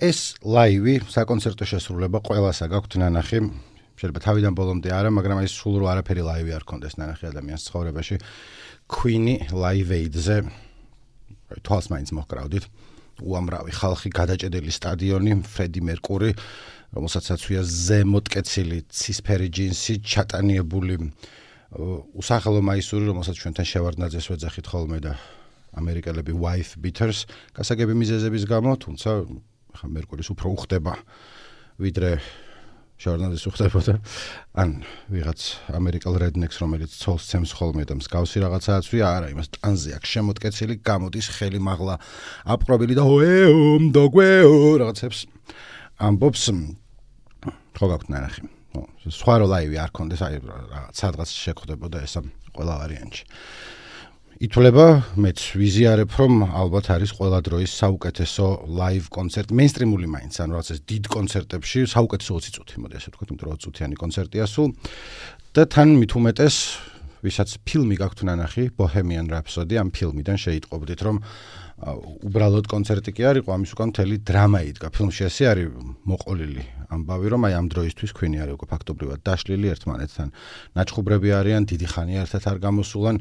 ეს ლაივი საკონცერტო შესრულება ყველასა გაქვთ ნანახი. შეიძლება თავიდან ბოლომდე არა, მაგრამ ის სულ რო არაფერი ლაივი არ ქონდეს ნანახი ადამიანის ცხოვრებაში. Queen-ი Live Aid-ზე თვალს მაინც მოჰკრავდით. უამრავი ხალხი, გადაჭედილი სტადიონი, ფრედი მერკური, რომელსაც აცვია ზემოთკეცილი ცისფერი ჯინსი, ჩატანიებული უსახელო მაისური, რომელსაც ჩვენთან შევარდნაძეს ვეძახით ხოლმე და ამერიკელები wife beaters, გასაგები მიზეზების გამო, თუმცა ხა მერკურის უფრო უხდება ვიდრე შევარდნაძეს უხდებოდა. ან ვიღაც ამერიკელ rednecks, რომელიც ცოლს ცემს ხოლმე და მსგავსი რაღაცა აცვია, არა, იმას ტანზე აქვს შემოთკეცილი, გამოდის ხელი მაღლა აპყრობილი და დოგვეო რაღაცებს ამბობს. ხო გაქვთ ნანახი. სხვა რო ლაივი არ ქონდეს, აი რაღაც შეხვდებოდა ესა ყველა ვარიანტში. ითვლება, მეც ვიზიარებ, რომ ალბათ არის ყველა დროის საუკეთესო ლაივ კონცერტი, მეინსტრიმული მაინც, ანუ რაღაც ეს დიდ კონცერტებში საუკეთესო 20 წუთი, მოდი ასე ვთქვათ, იმიტომ რომ 20 წუთიანი კონცერტია სულ და თან მით უმეტეს, ვისაც ფილმი გაქვთ ნანახი, Bohemian Rhapsody, ამ ფილმიდან შეიტყობდით, რომ უბრალოდ კონცერტი კი არ იყო, ამის უკან მთელი დრამა იდგა. ფილმში ესე არის მოყოლილი ამბავი, რომ აი ამ დროისთვის Queen-ი არის უკვე ფაქტობრივად დაშლილი ერთმანეთთან. ნაჩხუბრები არიან, დიდი ხანია ერთად არ გამოსულან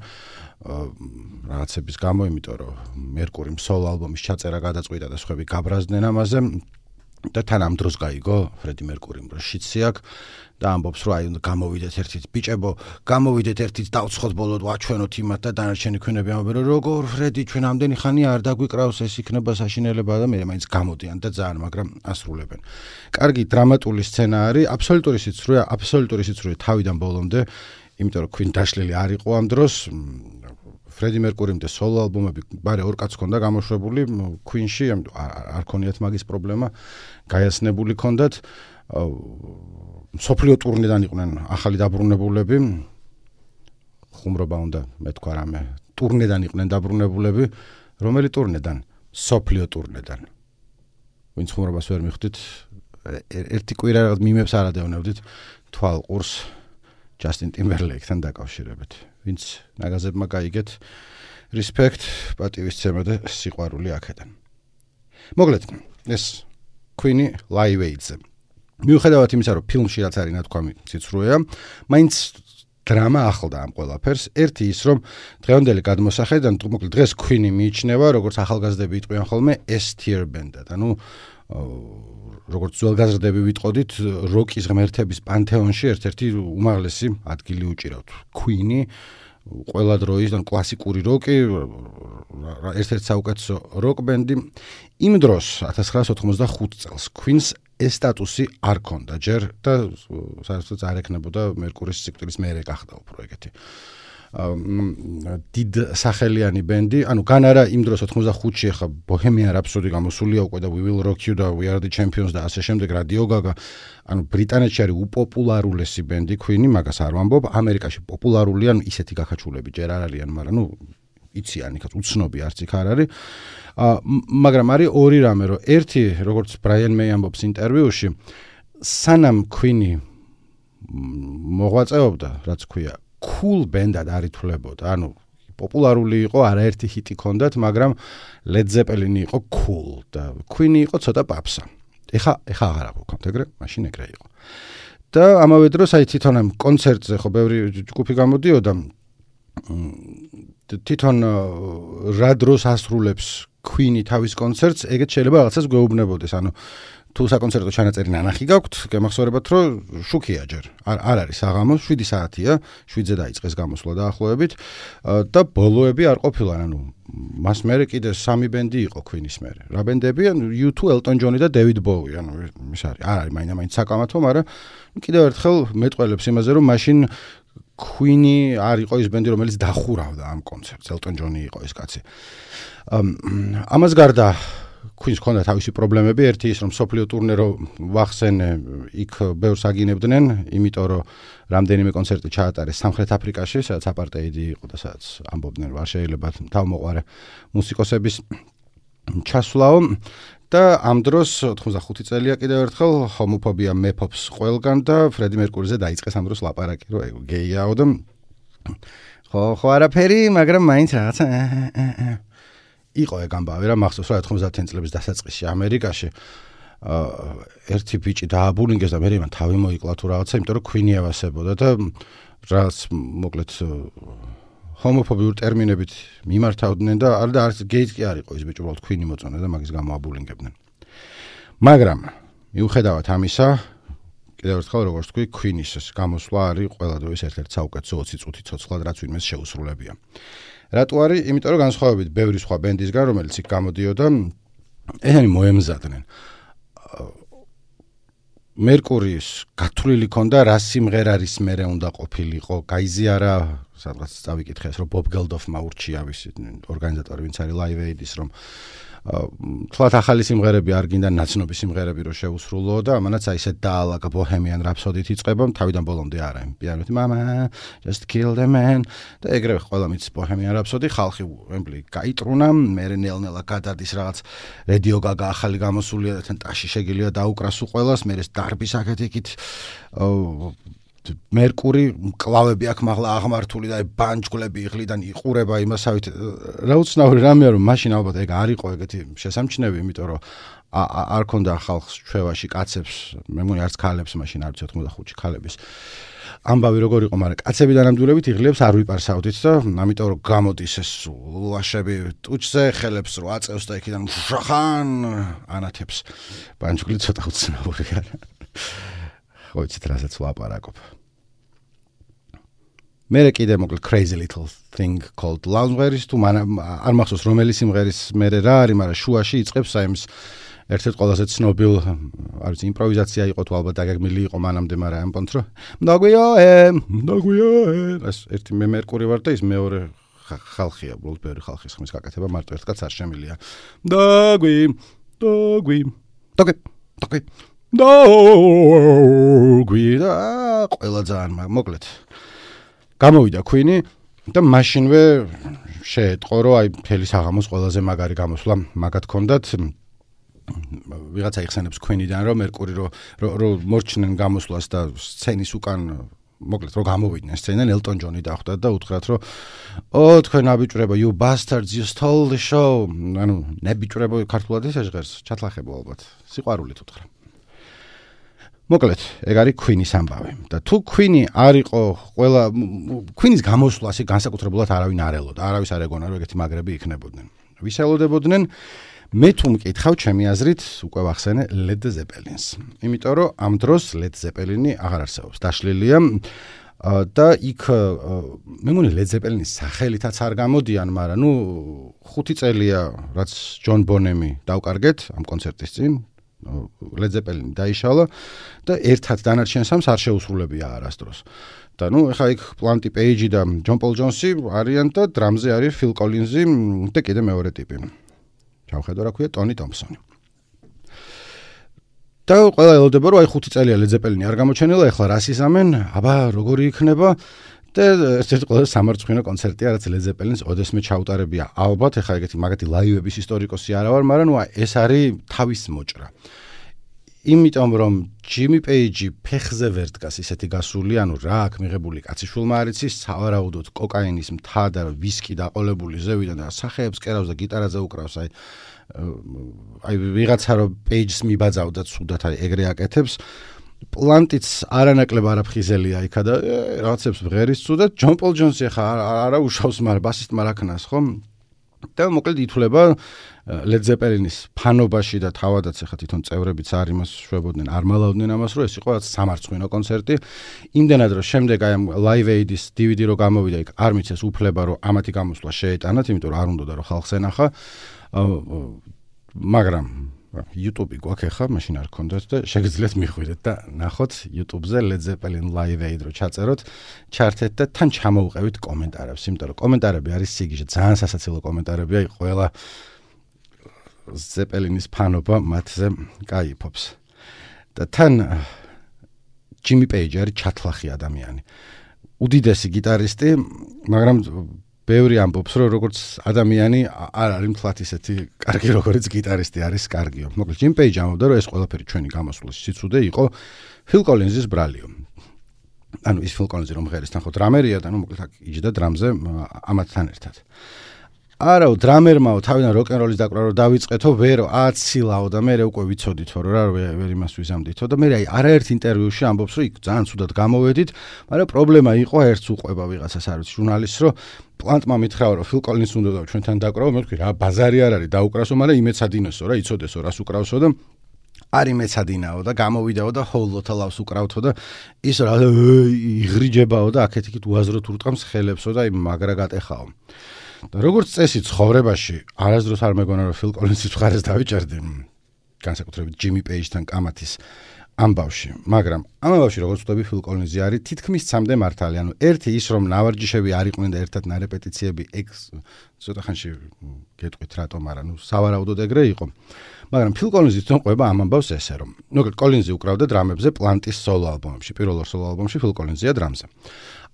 რაღაცების გამო, იმიტომ რომ მერკურიმ სოლო ალბომის ჩაწერა გადაწყვიტა და სხვები გაბრაზდნენ ამაზე და თან ამ დროს გაიგო ფრედი მერკურიმ, რომ შიცი აქვს და ამბობს, რომ აი უნდა გამოვიდეთ ერთით, ბიჭებო, გამოვიდეთ ერთით, დავცხოთ ბოლოდ, ვაჩვენოთ იმათ და დანარჩენი Queen-ები ამბობენ, რომ როგორ ფრედი, ჩვენ ამდენი ხანი არ დაგვიკრავს, ეს იქნება საშინელება და მე მაინც გამოდიან და ძალიან, მაგრამ ასრულებენ. კარგი დრამატული სცენა არის, აბსოლუტური სიცრუე თავიდან ბოლომდე, იმიტომ რომ Queen დაშლილი არ იყო ამ დროს. ფრედი მერკურიმ და სოლო ალბომები ბარე ორ კაცს ჰქონდა გამოშვებული Queen-ში, არ ქონიათ მაგის პრობლემა, გაიაცნებული ჰქონდათ. სოფლიო ტურნედან იყვნენ ახალი დაბრუნებულები. ხუმრობა უნდა მეთქვა რამე. ტურნედან იყვნენ დაბრუნებულები. რომელი ტურნედან? სოფლიო ტურნედან. ვინც ხუმრობას ვერ მიხვდით, ერთი კვირა რაღაც მიმებს არ ადევნებდით თვალყურს Justin Timberlake-თან დაკავშირებით. ვინც ნაგაზებმა გაიგეთ, respect, პატივისცემა და სიყვარული აქედან. მოკლედ, ეს Queen-ი Live Aid-ზე. მიუხედავად იმისა, რომ ფილმში რაც არის ნათქვამი ციცრუეა, მაინც დრამა ახლდა ამ ყველაფერს. ერთი ის, რომ დღევანდელი გადმოსახედიდან, მოკლედ დღეს Queen-ი მიიჩნევა, როგორც ახალგაზრდები იტყვიან ხოლმე S-tier band-ად. ანუ როგორც ძველგაზრდები ვიტყოდით, როკის ღმერთების პანთეონში ერთ-ერთი უმაღლესი ადგილი უჭირავთ. Queen-ი ყველა დროის და კლასიკური როკი, ერთ-ერთი საუკეთესო როკ ბენდი. იმ დროს 1985 წელს Queen-ს ეს სტატუსი არ ქონდა ჯერ და საერთოდ არ ეკნებოდა მერკურის სიკვდილის მერე გახდა უფრო ეგეთი. დიდ სახელიანი ბენდი, ანუ გან არა იმ დროს 85-ში ახლა Bohemian Rhapsody გამოსულია უკვე და We Will Rock You და We Are The Champions და ასე შემდეგ Radio Gaga, ანუ ბრიტანეთში არის უპოპულარულესი ბენდი Queen-ი, მაგას არ ვამბობ, ამერიკაში პოპულარულია, ანუ ისეთი გაქაჩულები ჯერ არ არიან, მაგრამ ნუ იციან იქაც უცნობი არც იქ არ არის. მაგრამ არის ორი რამე, რომ ერთი, როგორც Brian May ამბობს ინტერვიუში, სანამ Queen-ი მოღვაწეობდა, რაც ქვია cool band-ad არ ითვლებოდა. ანუ პოპულარული იყო, არაერთი ჰიტი ჰქონდათ, მაგრამ Led Zeppelin იყო cool და Queen-ი იყო ცოტა პაპსა. ეხა აღარ აღვქონთ ეგრე, მაშინ ეგრე იყო. და ამავე დროს აი თვითონ ამ კონცერტზე ხო ბევრი ჯგუფი გამოდიოდა. თვითონ რა დროს ასრულებს Queen-ი თავის კონცერტს, ეგეც შეიძლება რაღაცას გვეუბნებოდეს. ანუ თუ საკონცერტო ჩანაწერი ნანახი გაქვთ, გემახსოვრებათ, რომ შუქია ჯერ. არ არის საღამო, 7 საათია, 7-ზე დაიწყეს გამოსვლა დაახლოებით და ბოლოები არ ყოფილან, ანუ მას მერე კიდე 3 ბენდი იყო Queen-ის მერე. რა ბენდები? U2, Elton John და David Bowie, ანუ ის არის. არ არის მაინც საკამათო, მაგრამ კიდევ ერთხელ მეტყველებს იმაზე, რომ მაშინ Queen-ი არ იყო ის ბენდი, რომელიც დახურავდა ამ კონცერტს. Elton John-ი იყო ეს კაცი. ამას გარდა Queen-ს ჰქონდა თავისი პრობლემები, ერთი ის, რომ სოფლიო ტურნე რო ვახსენე, იქ ბევრს აგინებდნენ, იმიტომ რომ რამდენიმე კონცერტი ჩაატარეს სამხრეთ აფრიკაში, სადაც აპარტეიდი იყო და სადაც ამბობდნენ, რომ არ შეიძლება თავმოყარე მუსიკოსების ჩასვლაო და ამ დროს 85 წელია კიდევ ერთხელ ჰომოფობია მეფობს ყველგან და ფრედი მერკურიზე დაიწყეს ამ დროს ლაპარაკი, რომ გეიაო და ხო არაფერი, მაგრამ მაინც რაღაცა იყო ეგ ამბავი რა, მახსოვს რა 90-იან წლების დასაწყისში ამერიკაში ერთი ბიჭი დააბულინგეს და მე იმან თავი მოიკლა თუ რაღაცა, იმიტომ რომ Queen-ი ევასებოდა და რაც მოკლედ ჰომოფობიურ ტერმინებით მიმართავდნენ და არც გეიც კი არ იყო ის ბიჭი, უბრალოდ Queen-ი მოწონა და მაგის გამო აბულინგებდნენ. მაგრამ მიუხედავად ამისა, კიდევ ერთხელ როგორც თქვი, Queen-ის გამოსვლა არის ყველა დროის ერთ-ერთი საუკეთესო 20 წუთი ცოცხლად, რაც ვინმეს შეუსრულებია. რატო არის? იმიტომ რომ განსხვავებით ბევრი სხვა ბენდისგან, რომელიც იქ გამოდიოდა, ესენი მოემზადნენ. მერკურის გათვლილი ქონდა რა სიმღერარის მერე უნდა ყოფილიყო, გაიზიარა სადღაც წავიკითხეს რომ ბობ გელდოფმა ურჩია ვის ორგანიზატორი ვინც არის Live Aid-ის რომ თლათ ახალი სიმღერები არ გინდა ნაცნობი სიმღერები რომ შეუსრულო და ამანაც აი ესეთ დაალაგა Bohemian Rhapsody-ით იწყება თავიდან ბოლომდე არა პიანოთი mama just kill the man და ეგრევე ყველა მის Bohemian Rhapsody ხალხი ემბლი გაიტრუნა მე ნელ-ნელა გადადის რაღაც Radio Gaga ახალი გამოსულია და თან ტაში შეგიძლია დაუკრას უყველას მე ეს დარბის აქეთ-იქით მერკური კლავები აქ მაღლა აღმართული და ბანჯგლები იღლიდან იყურება იმასავით რა უცნაური რამეა რომ მაშინ ალბათ ეგ არ იყო ეგეთი შესამჩნევი იმიტომ რომ არ ქონდა ხალხს ჩვევაში კაცებს მე მგონი არც ქალებს მაშინ არც 85 ქალების ამბავი როგორ იყო მაგრამ კაცები დანამდვილებით იღლებს არ ვიპარსავდით და ამიტომ რომ გამოდის ეს ლაშები ტუჩზე ხელებს რო აწევს და იქიდან შახან ანათებს ბანჯგლი ცოტა უცნაური არა ხო იცით რასაც ვლაპარაკობ მე კიდე მოკლედ crazy little thing called Loungewear-ის თუ არ მახსოვს რომელი სიმღერის მე რა არის მაგრამ შუაში იწყებს აი ეს ერთ-ერთ ყველაზე ცნობილ არის იმპროვიზაცია იყო თუ ალბათ დაგეგმილი იყო მანამდე მაგრამ ამ პონტს რომ მდაგვიო ეს ერთი მე მერკური ვარ და ის მეორე ხალხია უბრალოდ ბევრი ხალხის ხმის გაკეთება მარტო ერთ კაცს არ შემილია დაგვი გვიდა ყველა ძალიან მოკლედ გამოვიდა Queen-ი და მაშინვე შეეტყო რომ აი მთელი საღამოს ყველაზე მაგარი გამოსვლა მაგათ ქონდათ ვიღაცა იხსენებს Queen-იდან რომ მერკური რომ მორჩნენ გამოსვლას და სცენის უკან მოკლედ რომ გამოვიდნენ სცენიდან ელტონ ჯონი დახვდათ და უთხრათ რომ თქვენ აბიჭრებო you bastards you stole the show ანუ ნებიჭრებო ქართულად ისე ჟღერს ჩათლახებო ალბათ სიყვარულით უთხრა მოკლედ, ეგ არის Queen-ის ამბავი. და თუ Queen-ი არ იყო ყველა Queen-ის გამოსვლას განსაკუთრებულად არავინ არ ელოდა. არავის არ ეგონა რომ ეგეთი მაგრები იქნებოდნენ. ვის ელოდებოდნენ? მე თუ მკითხავ ჩემი აზრით, უკვე ვახსენე Led Zeppelin-ს. იმიტომ რომ ამ დროს Led Zeppelin-ი აღარ არსებობს. დაშლილია და იქ მე მგონი Led Zeppelin-ის სახელითაც არ გამოდიან, მაგრამ ნუ 5 წელია რაც John Bonham-ი დავკარგეთ ამ კონცერტის წინ Led Zeppelin დაიშალა და ერთად დანარჩენ სამს არ შეუსრულებია არასდროს. და ნუ ეხა იქ პლანტი პეიჯი და ჯონ პოლ ჯონსი არიან და დრამზე არის ფილ კოლინზი და კიდე მეორე ტიპი. ჩავხედო რა ქვია ტონი ტომპსონი. და ყველა ელოდება რომ აი 5 წელია Led Zeppelin-ი არ გამოჩენილა, ეხლა რას ისამენ? აბა როგორი იქნება? და ერთ-ერთი ყველაზე სამარცხვინო კონცერტია რაც Led Zeppelin-ს ოდესმე ჩაუტარებია. ალბათ ეხლა ეგეთი მაგათი ლაივების ისტორიკოსი არა ვარ, მაგრამ ნუ ეს არის თავის მოჭრა. იმიტომ რომ ჯიმი პეიჯი ფეხზე ვერ დგას ისეთი გასული, ანუ რა აქ მიღებული კაციშვილმა არ იცის, სავარაუდოდ კოკაინის მთა და ვისკი დაყოლებული ზევიდან და სახეებს კერავს და გიტარაზე უკრავს, აი ვიღაცა რომ პეიჯს მიბაძავდა ცუდად, აი ეგრე აკეთებს. პლანტიც არანაკლებ არაფხიზელია იქა და რაღაცებს ვღერის ცუდად. ჯონ პოლ ჯონსი ხა არა უშავს, მაგრამ ბასისტმა რა ქნას ხო? და მოკლედ ითვლება Led Zeppelin-ის ფანობაში და თავადაც ხა თვითონ წევრებიც არ იმას შვებოდნენ, არ მალავდნენ ამას, რომ ეს იყო რაც სამარცხვინო კონცერტი. იმდენად რომ შემდეგ აი ამ Live Aid-ის DVD რო გამოვიდა, იქ არ მიცეს უფლება რომ ამათი გამოსვლა შეეტანათ, იმიტომ რომ არ უნდა რომ ხალხს ენახა. მაგრამ YouTube-ი გვაქვს ხა, მაშინ არ გქონდათ და შეგიძლიათ მიხვიდეთ და ნახოთ YouTube-ზე Led Zeppelin Live Aid რო ჩაწეროთ, ჩართეთ და თან ჩამოუყევით კომენტარებს, იმიტომ რომ კომენტარები არის სიგიჟე, ძალიან სასაცილო კომენტარებია, აი ყველა Zeppelin-ის ფანობა მათზე გაიფობს. და თან ჯიმი პეიჯი არის ჩათლახი ადამიანი. უდიდესი გიტარისტი, მაგრამ ბევრი ამბობს, რომ როგორც ადამიანი არ არის მთლად ისეთი კარგი, როგორც გიტარისტი არის კარგიო. მოკლედ ჯიმ პეიჯი ამბობდა, რომ ეს ყველაფერი ჩვენი გამოსვლის სიცუდე იყო ფილ კოლინზის ბრალიო. ანუ ის ფილ კოლინზი რომ ღერის თან ხო დრამერია და ნუ მოკლედ აქ იჯდა დრამზე ამათთან ერთად. არაო დრამერმაო თავიდან როკ-ენ-როლის დაკვრა რომ დავიწყეთო, ვერო აცილაო და მე უკვე ვიცოდითო რომ რა ვერ იმას ვიზამდითო და მე აი არაერთ ინტერვიუში ამბობს რომ იქ ძალიან ცუდად გამოვედით, მაგრამ პრობლემა იყო ერთს უყვება ვიღაცას არის ჟურნალისტს რომ პლანტმა მითხრაო რომ ფილ კოლინზს უნდა და ჩვენთან დაკრავო, მე ვთქვი რა ბაზარი არ არის დაუკრასო, მაგრამ იმეცადინოსო რა იცოდესო რას უკრავსო და არი მეცადინაო და გამოვიდაო და ჰოლოთა ლავს უკრავთო და ის რა იღრიჯებაო და აქეთ-იქით უაზროდ ურტყამს ხელებსო და აი მაგრა გატეხაო. და როგორც წესი ცხოვრებაში არასდროს არ მეგონა რომ ფილ კოლინზის მხარეს დავიჭერდი განსაკუთრებით ჯიმი პეიჯთან კამათის ამბავში, მაგრამ ამ ამბავში როგორც ვთქვი ფილ კოლინზი არის თითქმის ცამდე მართალი, ანუ ერთი ის რომ ნავარჯიშები არ იყვნენ და ერთად ნარეპეტიციები ცოტა ხანში გეტყვით რატომ არა, სავარაუდოდ ეგრე იყო. მაგრამ ფილ კოლინზი თვითონ ყვება ამ ამბავს ესე რომ კოლინზი უკრავდა დრამებზე პლანტის სოლო ალბომებში, პირველ სოლო ალბომში ფილ კოლინზია დრამზე.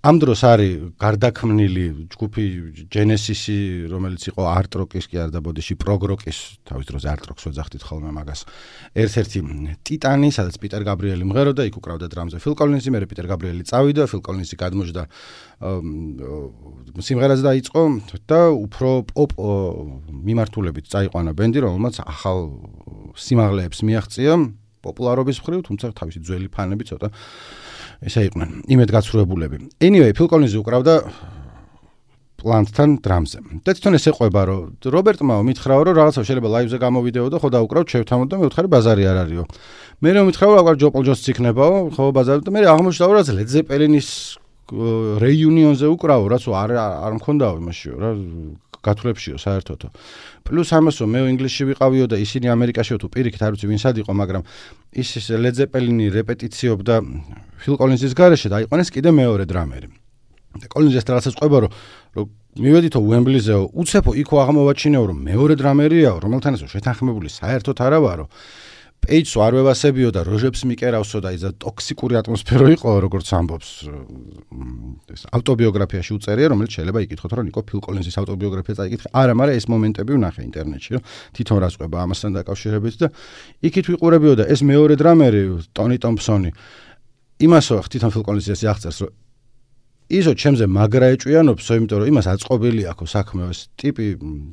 ამ დროს არის გარდაქმნილი ჯგუფი ჯენესისი, რომელიც იყო არტ-როკის კი არ და ბოდიში პროგ-როკის, თავის დროზე არტ-როკს ვეძახდით ხოლმე მაგას. ერთ-ერთი ტიტანი, სადაც პიტერ გაბრიელი მღეროდა, იქ უკრავდა დრამზე ფილ კოლინზი, მერე პიტერ გაბრიელი წავიდა, ფილ კოლინზი გადმოჯდა სიმღერას დაიწყო და უფრო პოპ მიმართულებით წაიყვანა ბენდი, რომელმაც ახალ სიმაღლეებს მიაღწია პოპულარობის მხრივ, თუმცა თავისი ძველი ფანები ცოტა ესე იყვნენ იმედგაცრუებულები. Anyway, ფილ კოლინზი უკრავდა პლანტთან დრამზე. და თვითონ ესე ყვება რომ რობერტმა მითხრაო რომ რაღაცა შეიძლება ლაივზე გამოვიდეო და ხო დავუკრავ შევთავმოთ და მე ვთხარი ბაზარი არ არისო. მე რომ მითხრაო რა ჯო პოლ ჯონსს იქნებაო, ხო ბაზარი და მე აღმოჩნდა რომ ლედ ზეპელინის რეიუნიონზე უკრავო, რაც არ მქონდაო იმაშიო რა გათვლებშიო საერთოდო. პლუს ამასო მე ინგლისში ვიყავიო და ისინი ამერიკაშიო თუ პირიქით არ ვიცი ვინსად იყო, მაგრამ ის ლედ ზეპელინი რეპეტიციობდა ფილ კოლინზის გარეშე და აიყვანეს კიდე მეორე დრამერი. და კოლინზი ეს რაღაცას ყვება რომ მივედითო უემბლიზეო, უცებო იქო აღმოვაჩინეო რომ მეორე დრამერიაო, რომელთანაც შეთანხმებული საერთოდ არა ვარო. პეიჯს არ ვევასებიო და როჟებს მიკერავსო და ისა ტოქსიკური ატმოსფერო იყო, როგორც ამბობს ეს ავტობიოგრაფიაში უწერია, რომელიც შეიძლება იკითხოთ, რომ ნიკო ფილ კოლინზის ავტობიოგრაფია წაიკითხე. არა, მაგრამ ეს მომენტები ვნახე ინტერნეტში, რომ თვითონ რას ყვება ამასთან დაკავშირებით და იქით ვიყურებიო და ეს მეორე დრამერი, ტონი ტომპსონი, იმასო თვითონ ფილ კოლინზის აღწერს, რომ ისო ჩემზე მაგრა ეჭვიანობსო, იმიტომ რომ იმას აწყობილი აქვს საქმე, ეს ტიპი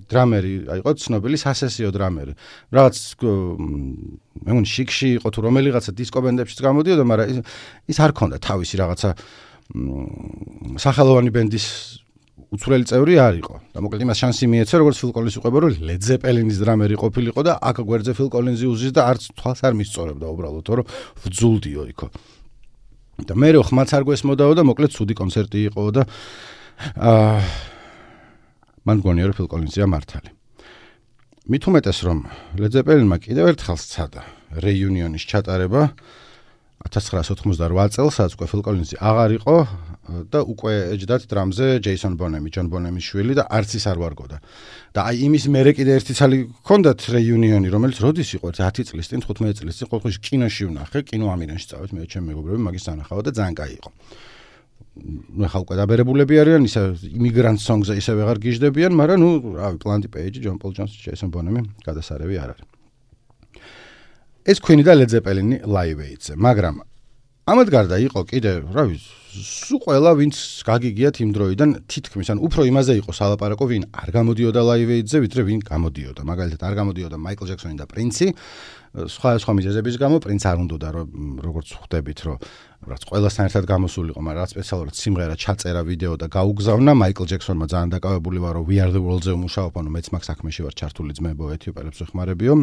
დრამერი, აიყო ცნობილი სასესიო დრამერი. რაღაც მე მგონი შიქში იყო თუ რომელიღაცა დისკო ბენდებშიც გამოდიოდა, მაგრამ ის არ ქონდა თავისი რაღაცა სახელოვანი ბენდის უცვლელი წევრი არ იყო. და მოკლედ იმას შანსი მიეცა, როგორც ფილ კოლინზი ყვება, რომ ლედ ზეპელინის დრამერი ყოფილიყო და აქ გვერდზე ფილ კოლინზი უზის და არც თვალს არ მისწორებდა უბრალოდ, რომ ვძულდიო იქო. და მე რო ხმაც არ გვესმოდაო და მოკლედ ცუდი კონცერტი იყო და მან გონია რომ ფილ კოლინზია მართალი. მით უმეტეს რომ ლედ ზეპელინმა კიდევ ერთხელ სცადა რეიუნიონის ჩატარება 1988 წელს, სადაც ფილ კოლინზი აღარ იყო და უკვე ეჯდათ დრამზე ჯეისონ ბონემი, ჯონ ბონემის შვილი და არც ის არ ვარგოდა. და აი იმის მერე კიდე ერთი ცალი ჰქონდათ რეიუნიონი, რომელიც როდის იყო 10 წლის წინ, 15 წლის წინ, ყოველთვის კინოში ვნახე, კინო ამინანში წავით მე ჩემი მეგობრები, მაგის სანახავად და ძალიან კაი იყო. ნუ ხა უკვე დაბერებულები არიან, ისე იმიგრანტ სონგზე ისე ვეღარ გიждდებიან, მაგრამ ნუ რავი, პლანტი პეიჯი, ჯონ პოლ ჯონსი, ჯეისონ ბონემი გადასარევი არ არის. ეს Queen და Led Zeppelin Live Aid-ზე, მაგრამ ამად გარდა იყო კიდე, რა ვიცი, სულ ყველა ვინც გაგიგიათ იმ დროიდან თითქმის, ან უფრო იმაზე იყო სალაპარაკო, ვინ არ გამოდიოდა Live Aid-ზე, ვიდრე ვინ გამოდიოდა. მაგალითად, არ გამოდიოდა მაიკლ ჯექსონი და პრინცი, სხვა მიზეზების გამო, პრინც არ უნდოდა, როგორც ხვდებით, რომ რაც ყველასთან ერთად გამოსულიყო, მაგრამ რაც სპეციალურად სიმღერა ჩაწერა ვიდეო და გაუგზავნა, მაიკლ ჯექსონმა ძალიან დაკავებული ვარო, We Are The World-ზე ვმუშაობ, ანუ მეც მაგ საქმეში ვარ ჩართული ძმებო, ეთიოპელებს ვეხმარებიო.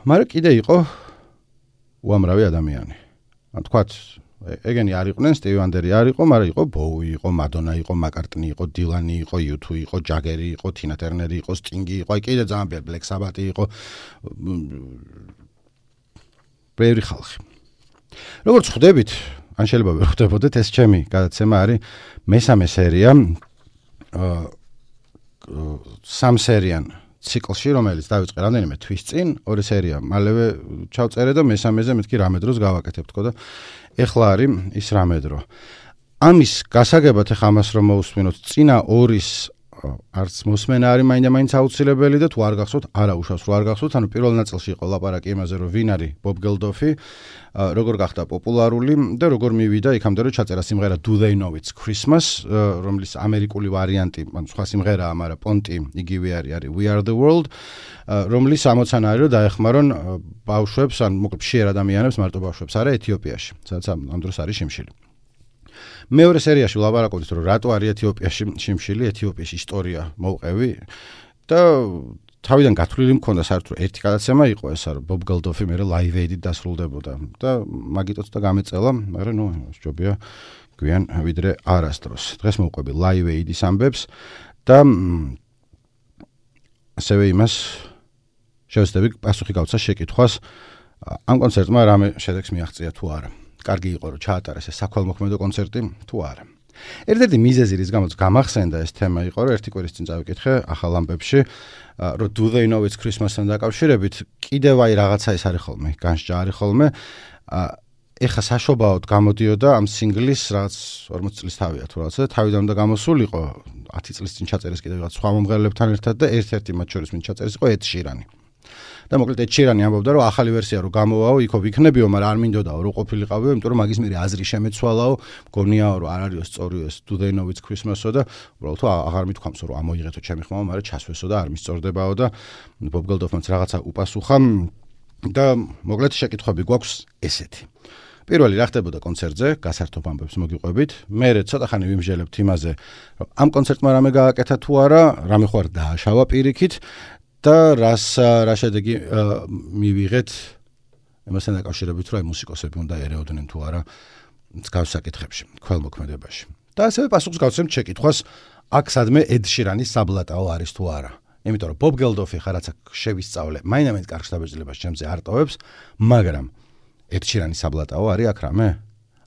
მაგრამ კიდე იყო უამრავი ადამიანი. ან თქვათ, ეგენი არ იყვნენ, სტივი ვანდერი არ იყო, მაგრამ იყო ბოუი, იყო მადონა, იყო მაკარტნი, იყო დილანი, იყო U2, იყო ჯაგერი, იყო თინა ტერნერი, იყო სტინგი, იყო კიდე ძალიან ბევრი, ბლეკ საბათი იყო ბევრი ხალხი. როგორც ხვდებით, ან შეიძლება ვერ ხვდებოდეთ, ეს ჩემი გადაცემა არის მესამე სერია 3 სერიან ციკლში, რომელიც დავიწყე რამდენიმე თვის წინ, 2 სერია მალევე ჩავწერე და მესამეზე მეთქი რამე დროს გავაკეთებ თქო და ეხლა არის ის რამე დრო. ამის გასაგებად ეხლა ამას რომ მოусმინოთ, წინა 2-ის არც მოსმენა არის მაინდა-მაინც აუცილებელი და თუ არ გახსოვთ, არა უშავს რო არ გახსოვთ, ანუ პირველ ნაწილში იყო ლაპარაკი იმაზე, რომ ვინ არის ბობ გელდოფი, როგორ გახდა პოპულარული და როგორ მივიდა იქამდე, რომ ჩაწერა სიმღერა Do They Know It's Christmas, რომლის ამერიკული ვარიანტი, ანუ სხვა სიმღერაა, მაგრამ პონტი იგივე არის We Are The World, რომლის ამოცანა არის, რომ დაეხმარონ ბავშვებს, ან მოკლედ მშიერ ადამიანებს, მარტო ბავშვებს არა ეთიოპიაში, სადაც ამ დროს არის შიმშილი. მეორე სერიაში ვლაპარაკობთ, რომ რატო არის ეთიოპიაში შიმშილი, ეთიოპიის ისტორია მოვყევი და თავიდან გათვლილი მქონდა საერთოდ ერთი გადაცემა იყო ეს, რომ ბობ გელდოფი მერე Live Aid-ით დასრულდებოდა და მაგიტოც და გამეწელა, მაგრამ ნუ ჯობია გვიან ვიდრე არასდროს. დღეს მოვყვები Live Aid-ის ამბებს და ასევე იმას შევეცდები პასუხი გავცა შეკითხვას ამ კონცერტმა რამე შედეგს მიაღწია თუ არა. კარგი იყო რომ ჩაატარეს ეს საქველმოქმედო კონცერტი თუ არა. ერთ-ერთი მიზეზი რის გამოც გამახსენდა ეს თემა იყო, რომ ერთი კვირის წინ წავიკითხე ახალ ამბებში, რომ Do They Know It's Christmas-თან დაკავშირებით კიდევ აი რაღაცა ეს არის ხოლმე, განსჯა არის ხოლმე. ეხა საშობაოდ გამოდიოდა ამ სინგლის რაღაც 40 წლის თავია თუ რაღაცა, თავიდან უნდა გამოსულიყო 10 წლის წინ ჩაწერეს კიდევ რაღაც სხვა მომღერლებთან ერთად და ერთ-ერთი მათ შორის ვინც ჩაწერეს იყო Ed Sheeran. და მოკლედ Ed Sheeran ამბობდა, რომ ახალი ვერსია რო გამოვაო, იქო ვიქნებიო, მაგრამ არ მინდოდაო, რო ყოფილიყავიო, იმიტომ რომ მაგის მერე აზრი შემეცვალაო, მგონიაო, რომ არ არისო სწორიო ეს Do They Know It's Christmas-ო და უბრალოდ აღარ მithქვამსო, რომ ამოიღეთო ჩემი ხმა, მაგრამ ჩასვესო და არ მისწორდებაო და Bob Geldof-მაც რაღაცა უპასუხა და მოკლედ შეკითხვები გვაქვს ესეთი. პირველი რა ხდებოდა კონცერტზე, გასართობ ამბებს მოგიყვებით. მერე ცოტა ხანი ვიმსჯელებთ იმაზე, რომ ამ კონცერტმა რამე გააკეთა თუ არა, რამე ხო არ დააშავა პირიქით და რა შედეგი მივიღეთ იმასთან დაკავშირებით, რომ აი მუსიკოსები უნდა ერეოდნენ თუ არა მსგავს საკითხებში, ქველმოქმედებაში. და ასევე პასუხს გავცემთ შეკითხვას, აქ სადმე Ed Sheeran-ის საბლატაო არის თუ არა. იმიტომ რომ Bob Geldof-ი ხარაცა შევისწავლე, მაინდა-მაინც კარგ შთაბეჭდილებას ჩემზე არ ტოვებს, მაგრამ Ed Sheeran-ის საბლატაო არის აქ რამე?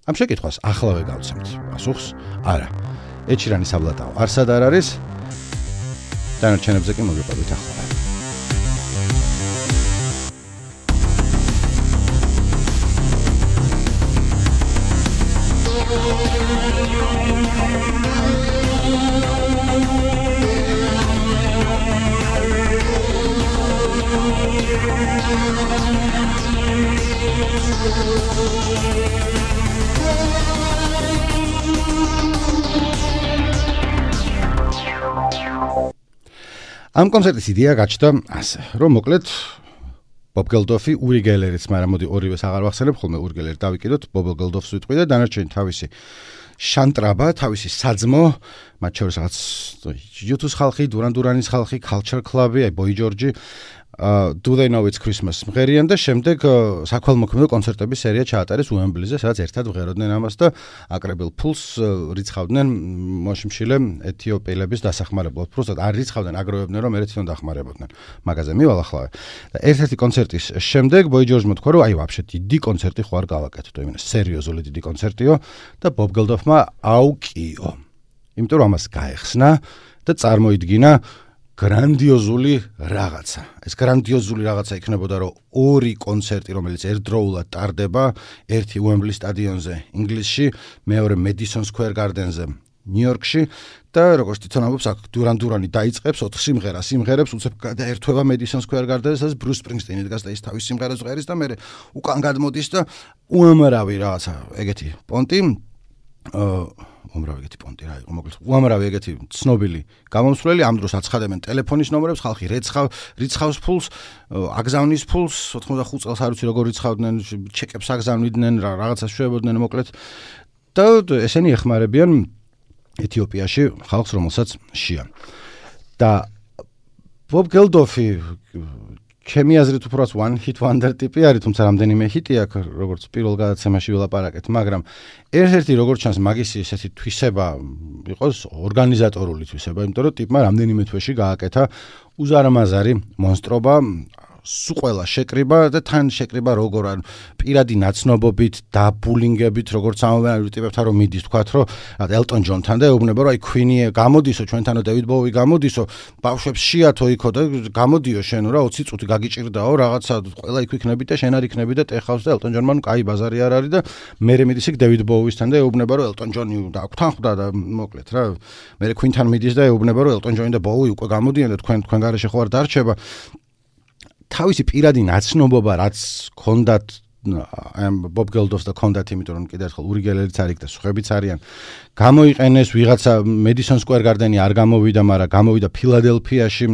ამ შეკითხვას ახლავე გავცემთ პასუხს, არა. Ed Sheeran-ის საბლატაო არსად არ არის. დანარჩენებზე კი მოგიყვებით ახლა. ამ კონცერტის იდეა გაჩნდა ასე, რომ მოკლედ Bob Geldof-ი ური გელერიც, მაგრამ მოდი ორივეს აღარ ვახსენებ, ხოლმე ური გელერი დავიკიდოთ, Bob Geldof-ს ვიტყვი და დანარჩენი თავისი შანტრაბა, თავისი საძმო, მათ შორის რაღაც YouTube-ის ხალხი, Duran-Duranis ხალხი, Culture Club-ი, აი Boy George, Do They Know It's Christmas მღერიან და შემდეგ საქველმოქმედო კონცერტების სერია ჩაატარეს უემბლიზე, სადაც ერთად ვღეროდნენ ამას და აკრებილ ფულს რიცხავდნენ მოშიმშილე ეთიოპიელების დასახმარებლად. Просто არ რიცხავდნენ, აგროვებდნენ, რომ ერთ თვითონ დახმარებოდნენ. მაგაზე მივალ ახლა. და ერთ-ერთი კონცერტის შემდეგ Boy George-მა თქვა, რომ აი ვაფშე დიდი კონცერტი ხო არ გავაკეთოთ, იმენა სერიოზული დიდი კონცერტიო და Bob Geldof-მა აუკიო. იმიტომ რომ ამას გაეხსნა და წარმოიდგინა გრანდიოზული რაღაცა. ეს გრანდიოზული რაღაცა იქნებოდა, რომ ორი კონცერტი, რომელიც ერთდროულად ტარდება, ერთი უემბლის სტადიონზე ინგლისში, მეორე Madison Square Garden-ზე ნიუ-იორკში და როგორც თვითონ ამბობს, აქ Duran-Durani დაიწყებს 4 სიმღერას, იმღერებს უცებ გადაერთვება Madison Square Garden-ზე, სადაც Bruce Springsteen-ი დგას და ის თავის სიმღერას ღერის და მე უკან გადმოდის და უამრავი რაღაცა ეგეთი პონტი უამრავი ეგეთი პონტი რა იყო, მოკლედ უამრავი ეგეთი ცნობილი გამომსვლელი ამ დროს აცხადებენ ტელეფონის ნომერებს, ხალხი რიცხავს ფულს, აგზავნის ფულს, 85 წელს არ ვიცი როგორ რიცხავდნენ, ჩეკებს აგზავნიდნენ, რაღაცას შვებოდნენ მოკლედ და ესენი ეხმარებიან ეთიოპიაში ხალხს, რომელსაც შია. და Bob Geldof-ი ჩემი აზრით უბრალოდ one hit wonder ტიპი არის, თუმცა რამდენიმე ჰიტი აქვს, როგორც პირველ გადაცემაში ვილაპარაკეთ, მაგრამ ერთ-ერთი როგორც ჩანს მაგისი ესეთი თვისება იყოს ორგანიზატორული თვისება, იმიტომ რომ ტიპმა რამდენიმე თვეში გააკეთა უზარმაზარი მონსტრობა სულ ყველა შეკრიბა და თან შეკრიბა როგორ ან პირადი ნაცნობობით და ბულინგებით როგორც ამოვანებრივ ტიპებთან რომ მიდის თქვათ რომ ელტონ ჯონთან და ეუბნება რომ აი Queen-ი გამოდისო ჩვენთანო დევიდ ბოუი გამოდისო ბავშვებს შეათო იქო და გამოდიო შენო რა 20 წუთი გაგიჭირდაო რაღაცა ყველა იქ იქნები და შენ არ იქნები და ტეხავს და ელტონ ჯონმა კაი ბაზარი არ არის და მე მიდის იქ დევიდ ბოუისთან და ეუბნება რომ ელტონ ჯონი დაგვთან ხვდა და მოკლედ რა მე Queen-თან მიდის და ეუბნება რომ ელტონ ჯონი და ბოუი უკვე გამოდიან და თქვენ გარეშე ხო არ დარჩება თავისი პირადი ნაცნობობა რაც ქონდათ Bob Geldof და ქონდათ იმიტომ რომ კიდევ ერთხელ ური გელერიც არის და სხვაებიც არიან გამოიყენეს ვიღაცა Madison Square Garden-ი არ გამოვიდა მაგრამ გამოვიდა ფილადელფიაში